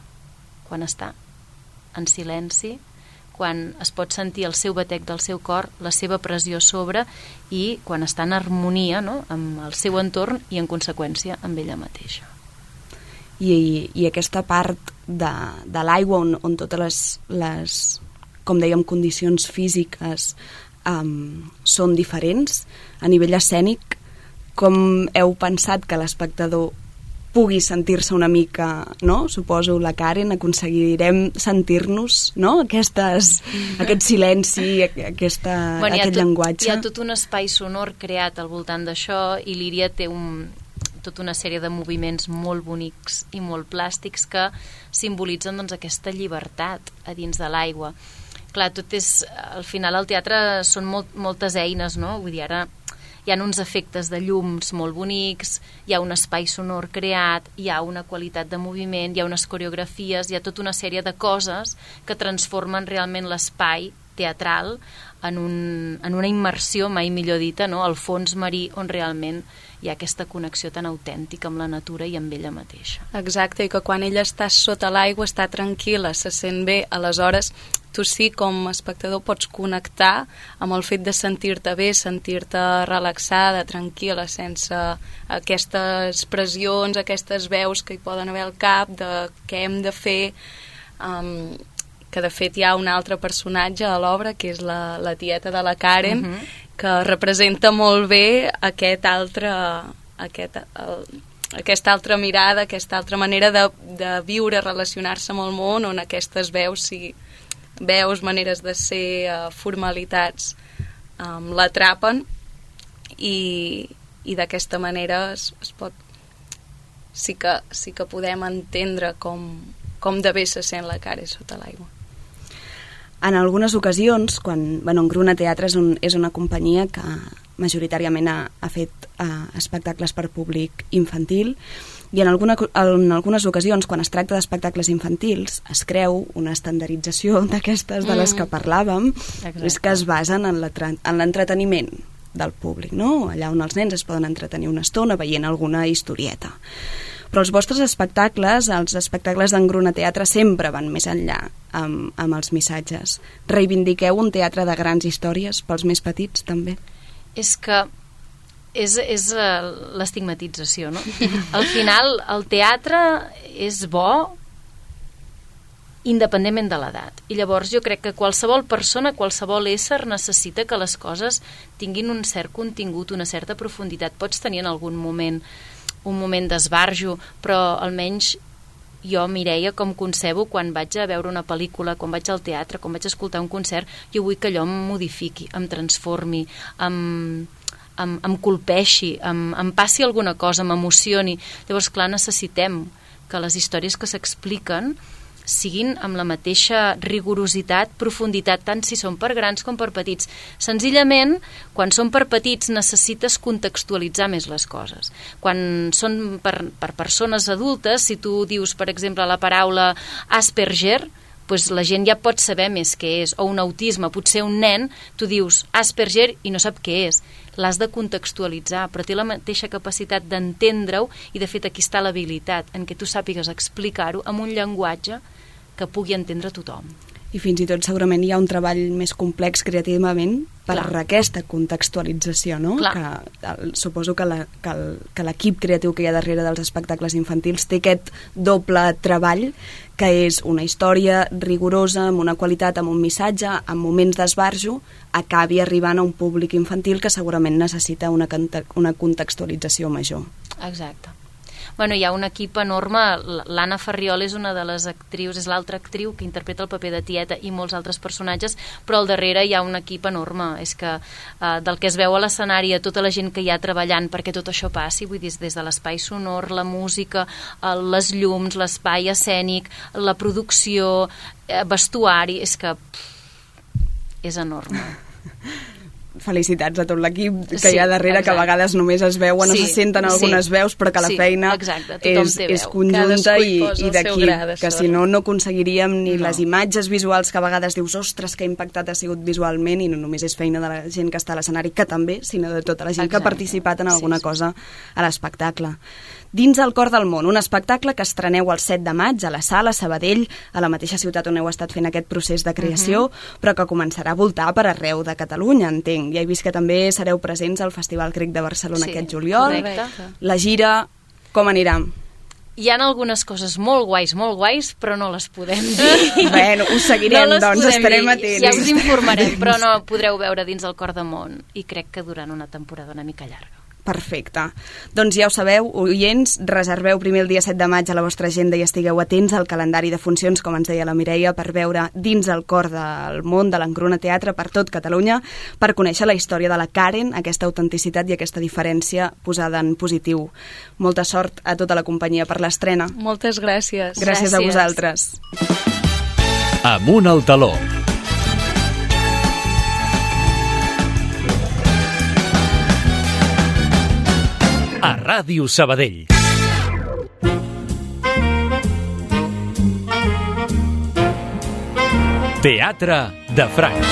quan està en silenci, quan es pot sentir el seu batec del seu cor, la seva pressió a sobre, i quan està en harmonia, no?, amb el seu entorn i, en conseqüència, amb ella mateixa. I aquesta part de l'aigua on totes les, com dèiem, condicions físiques són diferents, a nivell escènic, com heu pensat que l'espectador pugui sentir-se una mica, no? Suposo, la Karen, aconseguirem sentir-nos, no? Aquest silenci, aquest llenguatge. Hi ha tot un espai sonor creat al voltant d'això, i l'Íria té tota una sèrie de moviments molt bonics i molt plàstics que simbolitzen, doncs, aquesta llibertat a dins de l'aigua. Clar, tot és... Al final, al teatre són moltes eines, no? Vull dir, ara hi ha uns efectes de llums molt bonics, hi ha un espai sonor creat, hi ha una qualitat de moviment, hi ha unes coreografies, hi ha tota una sèrie de coses que transformen realment l'espai teatral en una immersió, mai millor dita, no?, al fons marí, on realment hi ha aquesta connexió tan autèntica amb la natura i amb ella mateixa. Exacte, i que quan ella està sota l'aigua està tranquil·la, se sent bé, aleshores tu sí, com a espectador, pots connectar amb el fet de sentir-te bé, sentir-te relaxada, tranquil·la, sense aquestes pressions, aquestes veus que hi poden haver al cap de què hem de fer, que de fet hi ha un altre personatge a l'obra, que és la tieta de la Karen, que representa molt bé aquesta altra mirada, aquesta altra manera de viure, relacionar-se amb el món, on aquestes veus, maneres de ser, formalitats, l'atrapen, i d'aquesta manera es pot... Sí que podem entendre com de bé se sent la Karen sota l'aigua. En algunes ocasions, quan Engruna Teatre és una companyia que majoritàriament ha fet espectacles per públic infantil, i en algunes ocasions, quan es tracta d'espectacles infantils, es creu una estandardització d'aquestes de les que parlàvem, és que es basen en l'entreteniment del públic, no? Allà on els nens es poden entretenir una estona veient alguna historieta. Però els vostres espectacles, els espectacles d'Engruna Teatre, sempre van més enllà amb els missatges. Reivindiqueu un teatre de grans històries pels més petits, també? És que és l'estigmatització, no? Al final, el teatre és bo independentment de l'edat. I llavors jo crec que qualsevol persona, qualsevol ésser necessita que les coses tinguin un cert contingut, una certa profunditat. Pots tenir en algun moment un moment d'esbarjo, però almenys jo, Mireia, com concebo quan vaig a veure una pel·lícula, quan vaig al teatre, quan vaig a escoltar un concert, jo vull que allò em modifiqui, em transformi, em colpeixi, em passi alguna cosa, m'emocioni. Llavors, clar, necessitem que les històries que s'expliquen siguin amb la mateixa rigorositat, profunditat, tant si són per grans com per petits. Senzillament, quan són per petits necessites contextualitzar més les coses. Quan són per persones adultes, si tu dius, per exemple, la paraula Asperger, doncs la gent ja pot saber més què és, o un autisme, potser un nen, tu dius Asperger i no sap què és. L'has de contextualitzar, però té la mateixa capacitat d'entendre-ho, i de fet aquí està l'habilitat, en què tu sàpigues explicar-ho amb un llenguatge que pugui entendre tothom. I fins i tot segurament hi ha un treball més complex creativament per aquesta contextualització, no? Suposo que l'equip creatiu que hi ha darrere dels espectacles infantils té aquest doble treball, que és una història rigorosa, amb una qualitat, amb un missatge, amb moments d'esbarjo, acabi arribant a un públic infantil que segurament necessita una contextualització major. Exacte. Bueno, hi ha un equip enorme. L'Anna Farriol és una de les actrius, és l'altra actriu que interpreta el paper de tieta i molts altres personatges, però al darrere hi ha un equip enorme. És que del que es veu a l'escenari, a tota la gent que hi ha treballant perquè tot això passi, vull dir, des de l'espai sonor, la música, les llums, l'espai escènic, la producció, vestuari, és que és enorme. Felicitats a tot l'equip que hi ha darrere, que a vegades només es veuen o se senten algunes veus, però que la feina és conjunta i d'equip, que si no aconseguiríem ni les imatges visuals que a vegades dius, ostres, que impactat ha sigut visualment, i no només és feina de la gent que està a l'escenari, que també, sinó de tota la gent que ha participat en alguna cosa a l'espectacle. Dins el cor del món, un espectacle que estreneu el 7 de maig a la Sala Sabadell, a la mateixa ciutat on heu estat fent aquest procés de creació, però que començarà a voltar per arreu de Catalunya, entenc. Ja he vist que també sereu presents al Festival Crec de Barcelona aquest juliol. Correcte. La gira, com anirà? Hi ha algunes coses molt guais, però no les podem dir. Bueno, us seguirem, doncs estarem atents. Ja us informarem, però no podreu veure dins el cor del món, i crec que durant una temporada una mica llarga. Perfecte. Doncs ja ho sabeu, oients, reserveu primer el dia 7 de maig a la vostra agenda i estigueu atents al calendari de funcions, com ens deia la Mireia, per veure dins el cor del món de l'Engruna Teatre per tot Catalunya, per conèixer la història de la Karen, aquesta autenticitat i aquesta diferència posada en positiu. Molta sort a tota la companyia per l'estrena. Moltes gràcies. Gràcies a vosaltres. Amunt al taló. A Ràdio Sabadell. Teatre de Franc.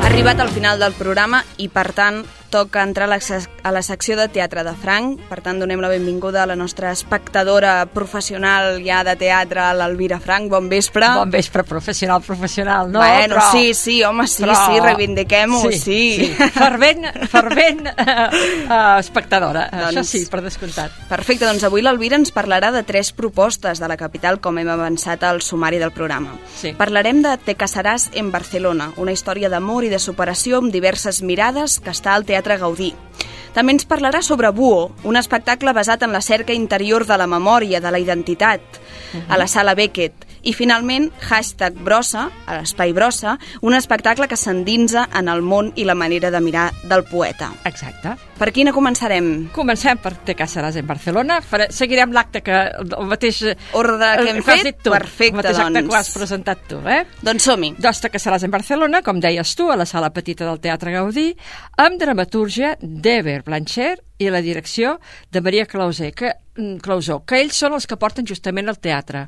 Arribat al final del programa i, per tant, toca entrar a la secció de Teatre de Franc. Per tant, donem la benvinguda a la nostra espectadora professional ja de teatre, l'Elvira Franc. Bon vespre. Bon vespre, professional, no? Bueno, però... sí, home, sí, reivindiquem-ho, sí. Fervent espectadora, doncs, això sí, per descomptat. Perfecte, doncs avui l'Elvira ens parlarà de 3 propostes de la capital, com hem avançat al sumari del programa. Sí. Parlarem de Te casaràs en Barcelona, una història d'amor i de superació amb diverses mirades que està al Teatre Gaudí. També ens parlarà sobre Buo, un espectacle basat en la cerca interior de la memòria, de la identitat, a la Sala Beckett, I finalment, #Brossa, a l'Espai Brossa, un espectacle que s'endinsa en el món i la manera de mirar del poeta. Exacte. Per quina començarem? Comencem per Te casaràs en Barcelona. Seguirem l'acte que el mateix... Ordre que hem fet? Perfecte, el mateix acte doncs. que ho has presentat tu, Doncs som-hi. Doncs Te casaràs en Barcelona, com deies tu, a la sala petita del Teatre Gaudí, amb dramatúrgia d'Eber Blanchard i la direcció de Maria Clausó, que ells són els que porten justament el teatre.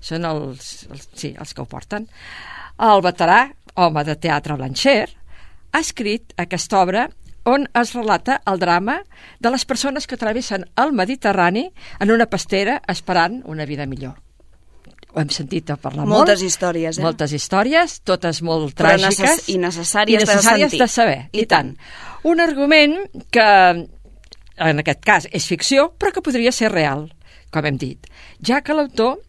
Són els que ho porten. El veterà home de teatre Blanchard ha escrit aquesta obra on es relata el drama de les persones que travessen el Mediterrani en una pastera esperant una vida millor. Ho hem sentit a parlar molt. Moltes històries, Moltes històries, totes molt tràgiques. I necessàries de sentir. De saber, i tant. Un argument que, en aquest cas, és ficció, però que podria ser real, com hem dit, ja que l'autor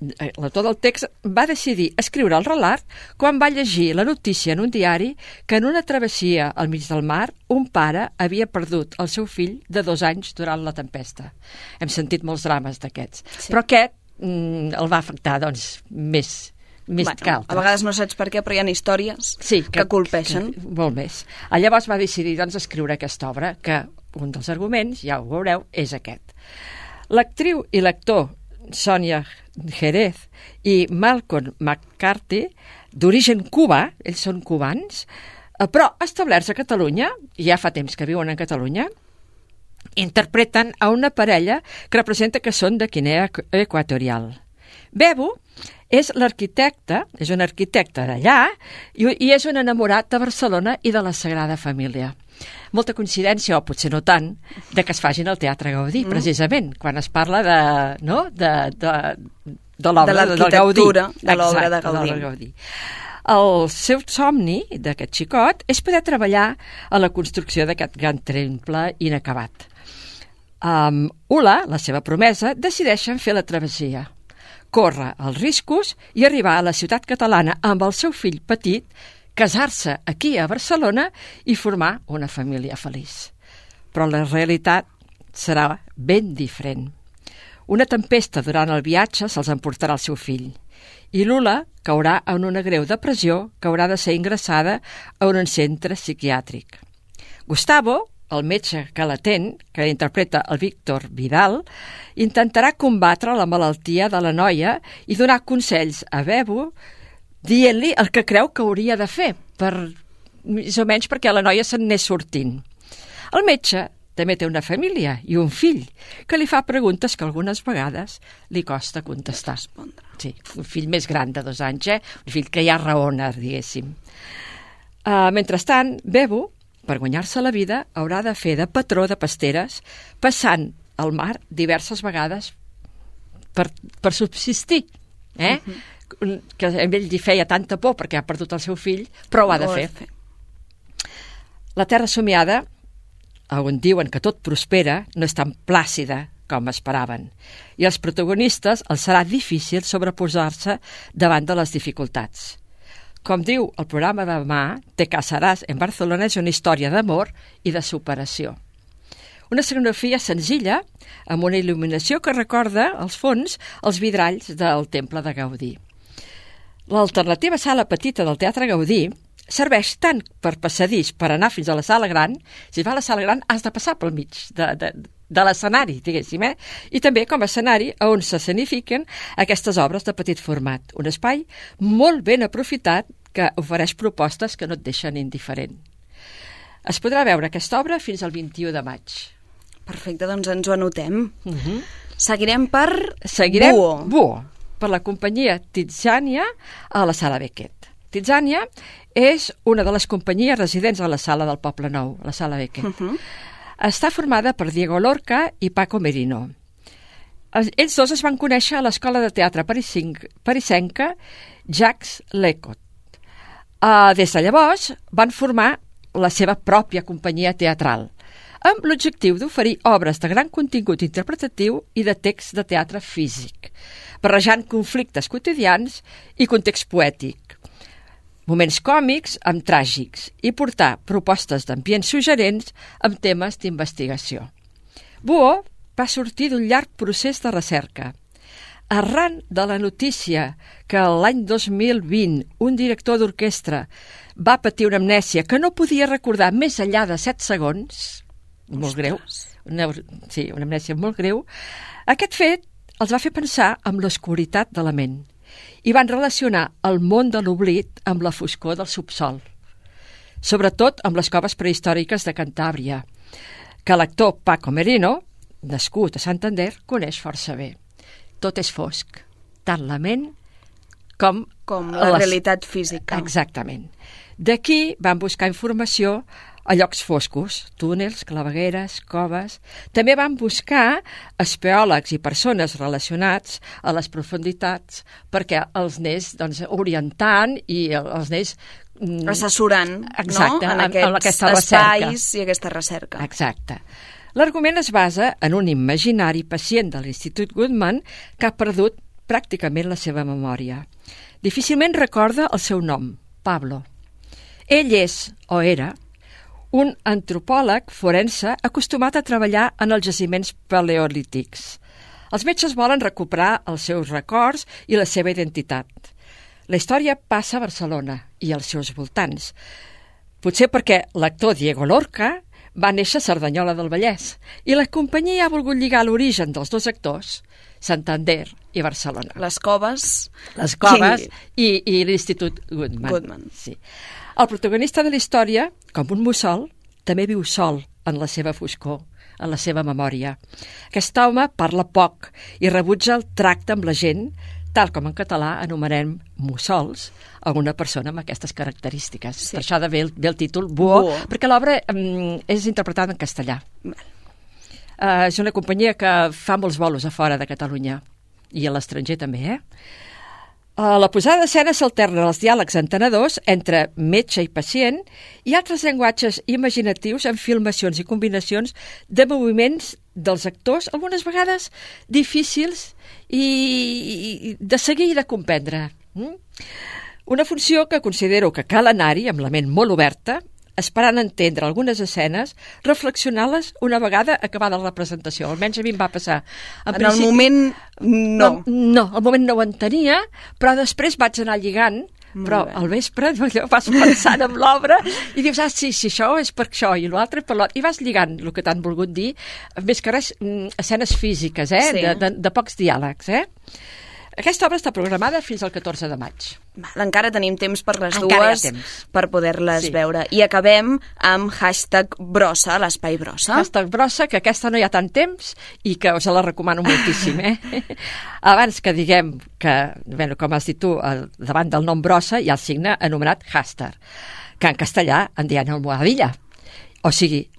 del text va decidir escriure el relat quan va llegir la notícia en un diari que en una travessia al mig del mar un pare havia perdut el seu fill de 2 anys durant la tempesta. Hem sentit molts drames d'aquests, però aquest el va afectar, doncs, més que altres. A vegades no saps per què, però hi ha històries que colpeixen. Molt més. Llavors va decidir, doncs, escriure aquesta obra, que un dels arguments, ja ho veureu, és aquest. L'actriu i l'actor Sonia Jerez i Malcolm McCarthy, d'origen cubà, ells són cubans, però establerts a Catalunya, ja fa temps que viuen a Catalunya, interpreten a una parella que representa que són de Guinea Equatorial. Bebo és l'arquitecte, és un arquitecte d'allà i és un enamorat de Barcelona i de la Sagrada Família. Molta coincidència, o potser no tant, de que es facin al Teatre Gaudí, precisament, quan es parla de l'obra del Gaudí. De l'obra de Gaudí. El seu somni d'aquest xicot és poder treballar a la construcció d'aquest gran temple inacabat. Ula, la seva promesa, decideixen fer la travessia, córrer els riscos i arribar a la ciutat catalana amb el seu fill petit, casar-se aquí a Barcelona i formar una família feliç. Però la realitat serà ben diferent. Una tempesta durant el viatge se'ls emportarà el seu fill i l'Ula caurà en una greu depressió que haurà de ser ingressada a un centre psiquiàtric. Gustavo, el metge que l'atén, que interpreta el Víctor Vidal, intentarà combatre la malaltia de la noia i donar consells a Bebo dient-li el que creu que hauria de fer, més o menys perquè la noia se'n anés sortint. El metge també té una família i un fill que li fa preguntes que algunes vegades li costa contestar. Sí, un fill més gran de 2 anys, un fill que ja raona, diguéssim. Mentrestant, Bebo, per guanyar-se la vida, haurà de fer de patró de pasteres, passant al mar diverses vegades per subsistir, que a ell li feia tanta por perquè ha perdut el seu fill, però ho ha de fer. La terra somiada, on diuen que tot prospera, no és tan plàcida com esperaven, i als protagonistes els serà difícil sobreposar-se davant de les dificultats. Com diu el programa de demà, Te casaràs en Barcelona és una història d'amor i de superació. Una escenografia senzilla, amb una il·luminació que recorda, als fons, els vidralls del Temple de Gaudí. L'alternativa sala petita del Teatre Gaudí serveix tant per passadís per anar fins a la sala gran. Si vas a la sala gran has de passar pel mig de l'escenari, diguéssim, i també com a escenari on s'escenifiquen aquestes obres de petit format. Un espai molt ben aprofitat que ofereix propostes que no et deixen indiferent. Es podrà veure aquesta obra fins al 21 de maig. Perfecte, doncs ens ho anotem. Seguirem per Buo, per la companyia Tiziania a la Sala Beckett. Tiziania és una de les companyies residents a la Sala del Poble Nou, la Sala Beckett. Està formada per Diego Lorca i Paco Merino. Ells dos es van conèixer a l'escola de teatre parisenca Jacques Lecot. Des de llavors van formar la seva pròpia companyia teatral, amb l'objectiu d'oferir obres de gran contingut interpretatiu i de text de teatre físic, barrejant conflictes quotidians i context poètic, moments còmics amb tràgics i portar propostes d'ambients suggerents amb temes d'investigació. Buo va sortir d'un llarg procés de recerca. arran de la notícia que l'any 2020 un director d'orquestra va patir una amnèsia que no podia recordar més enllà de 7 segons, molt greu, una amnèsia molt greu, aquest fet els va fer pensar en l'oscuritat de la ment i van relacionar el món de l'oblit amb la foscor del subsol, sobretot amb les coves prehistòriques de Cantàbria, que l'actor Paco Merino, nascut a Santander, coneix força bé. Tot és fosc, tant la ment com la realitat física. Exactament. D'aquí van buscar informació a llocs foscos, túnels, clavegueres, coves. També van buscar espeòlegs i persones relacionats a les profunditats perquè els anés orientant i els anés assessorant, exacte, no? En aquests espais i aquesta recerca. Exacte. L'argument es basa en un imaginari pacient de l'Institut Goodman que ha perdut pràcticament la seva memòria. Difícilment recorda el seu nom, Pablo. Ell és, o era, un antropòleg forense acostumat a treballar en els jaciments paleolítics. Els metges volen recuperar els seus records i la seva identitat. La història passa a Barcelona i als seus voltants. Potser perquè l'actor Diego Lorca va néixer a Cerdanyola del Vallès i la companyia ha volgut lligar l'origen dels dos actors, Santander i Barcelona. Les coves i l'Institut Goodman. Sí. El protagonista de la història, com un mussol, també viu sol en la seva foscor, en la seva memòria. Aquest home parla poc i rebutja el tracte amb la gent, tal com en català anomenem mussols a una persona amb aquestes característiques. Sí. Per això ve el títol Buó, perquè l'obra és interpretada en castellà. És una companyia que fa molts bolos a fora de Catalunya i a l'estranger també, A la posada d'escena s'alternen els diàlegs entenedors entre metge i pacient i altres llenguatges imaginatius en filmacions i combinacions de moviments dels actors, algunes vegades difícils i de seguir i de comprendre. Una funció que considero que cal anar-hi amb la ment molt oberta, esperant entendre algunes escenes, reflexionar-les una vegada acabada la representació. Almenys a mi em va passar. En el moment no. No, al moment no ho entenia, però després vaig anar lligant, però al vespre vas pensant en l'obra i dius, sí, això és per això i l'altre per l'altre, i vas lligant el que t'han volgut dir, més que res escenes físiques, Sí. de pocs diàlegs, Aquesta obra està programada fins al 14 de maig. Encara tenim temps per les dues per poder-les veure. I acabem amb #Brossa, l'espai Brossa. #Brossa, que aquesta no hi ha tant temps i que us la recomano moltíssim. Abans que diguem que, com has dit tu, davant del nom Brossa hi ha el signe anomenat hashtag, que en castellà en diuen almohadilla. O sigui,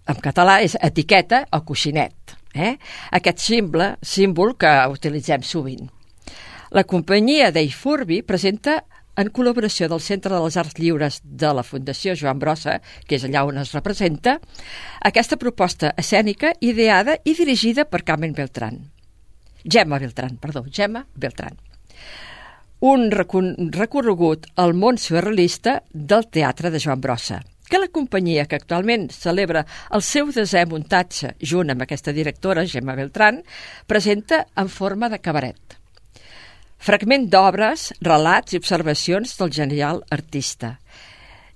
en català és etiqueta o coixinet. Aquest símbol que utilitzem sovint. La companyia d'Eifurbi presenta, en col·laboració del Centre de les Arts Lliures de la Fundació Joan Brossa, que és allà on es representa, aquesta proposta escènica ideada i dirigida per Gemma Beltrán. Un recorregut al món surrealista del teatre de Joan Brossa, que la companyia, que actualment celebra el seu 10è muntatge junt amb aquesta directora, Gemma Beltrán, presenta en forma de cabaret. Fragment d'obres, relats i observacions del genial artista,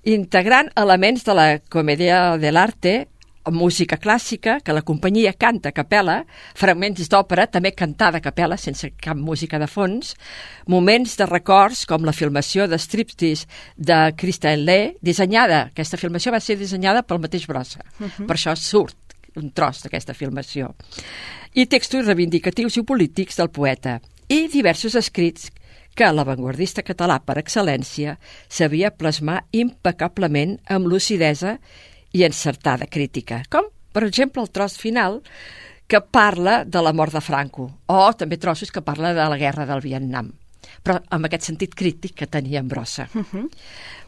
integrant elements de la comèdia dell'arte, música clàssica, que la companyia canta a capella, fragments d'òpera, també cantada a capella, sense cap música de fons, moments de records, com la filmació de Striptease de Christine Lee, aquesta filmació va ser dissenyada pel mateix Brossa, per això surt un tros d'aquesta filmació, i textos reivindicatius i polítics del poeta, i diversos escrits que l'avantguardista català per excel·lència sabia plasmar impecablement amb lucidesa i encertada crítica, com, per exemple, el tros final que parla de la mort de Franco, o també trossos que parla de la guerra del Vietnam, però amb aquest sentit crític que tenia en Brossa.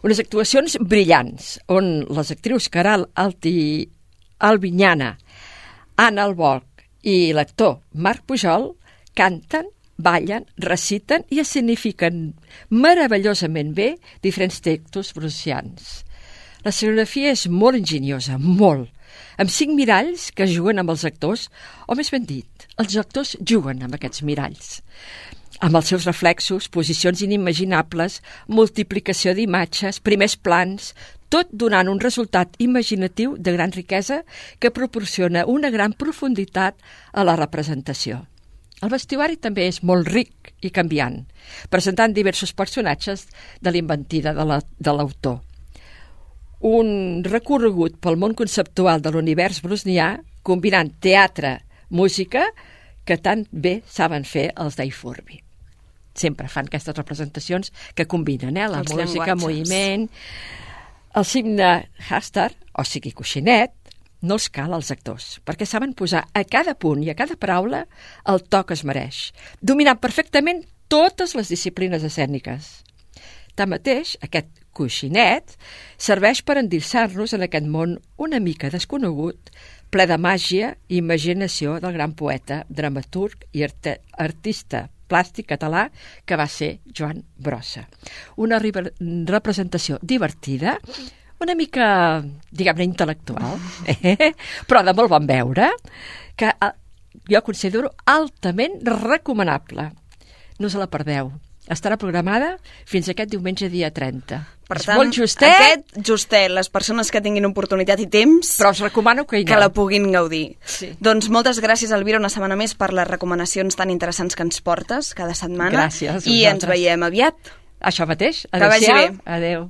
Unes actuacions brillants, on les actrius Caral Albinyana, Anna Albolch i l'actor Marc Pujol canten, ballen, reciten i escenifiquen meravellosament bé diferents textos brussians. La escenografia és molt enginyosa, molt. amb 5 miralls que juguen amb els actors, o més ben dit, els actors juguen amb aquests miralls, amb els seus reflexos, posicions inimaginables, multiplicació d'imatges, primers plans, tot donant un resultat imaginatiu de gran riquesa que proporciona una gran profunditat a la representació. El vestuari també és molt ric i canviant, presentant diversos personatges de l'inventida de l'autor. Un recorregut pel món conceptual de l'univers brusnià, combinant teatre, música, que tan bé saben fer els Dave Furby. Sempre fan aquestes representacions que combinen la música, moviment. El signe Hastar, o sigui coixinet, no els cal als actors, perquè saben posar a cada punt i a cada paraula el to que es mereix, dominant perfectament totes les disciplines escèniques. Tanmateix, aquest coixinet serveix per endinsar-nos en aquest món una mica desconegut, ple de màgia i imaginació del gran poeta, dramaturg i artista plàstic català que va ser Joan Brossa. Una representació divertida, una mica, diguem-ne, intel·lectual, però de molt bon veure, que jo considero altament recomanable. No se la perdeu. Estarà programada fins aquest diumenge dia 30. Per és tant, molt justet. Aquest justet, les persones que tinguin oportunitat i temps... Però us recomano que hi aneu. Que la puguin gaudir. Sí. Doncs moltes gràcies, Elvira, una setmana més per les recomanacions tan interessants que ens portes cada setmana. Gràcies. I ens veiem aviat. Això mateix. Que vagi bé. Adéu.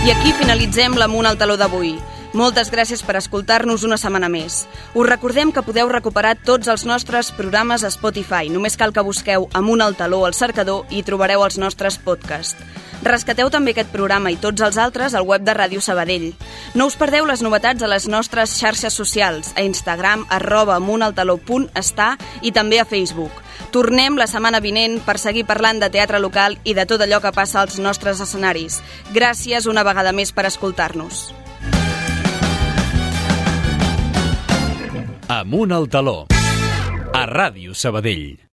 I aquí finalitzem l'Amunt al Taló d'avui. Moltes gràcies per escoltar-nos una setmana més. Us recordem que podeu recuperar tots els nostres programes a Spotify. Només cal que busqueu Amunt al Taló al cercador i trobareu els nostres podcasts. Rescateu també aquest programa i tots els altres al web de Ràdio Sabadell. No us perdeu les novetats a les nostres xarxes socials, a Instagram, @amuntaltaló.està i també a Facebook. Tornem la setmana vinent per seguir parlant de teatre local i de tot allò que passa als nostres escenaris. Gràcies una vegada més per escoltar-nos. Amunt al Taló, a Ràdio Sabadell.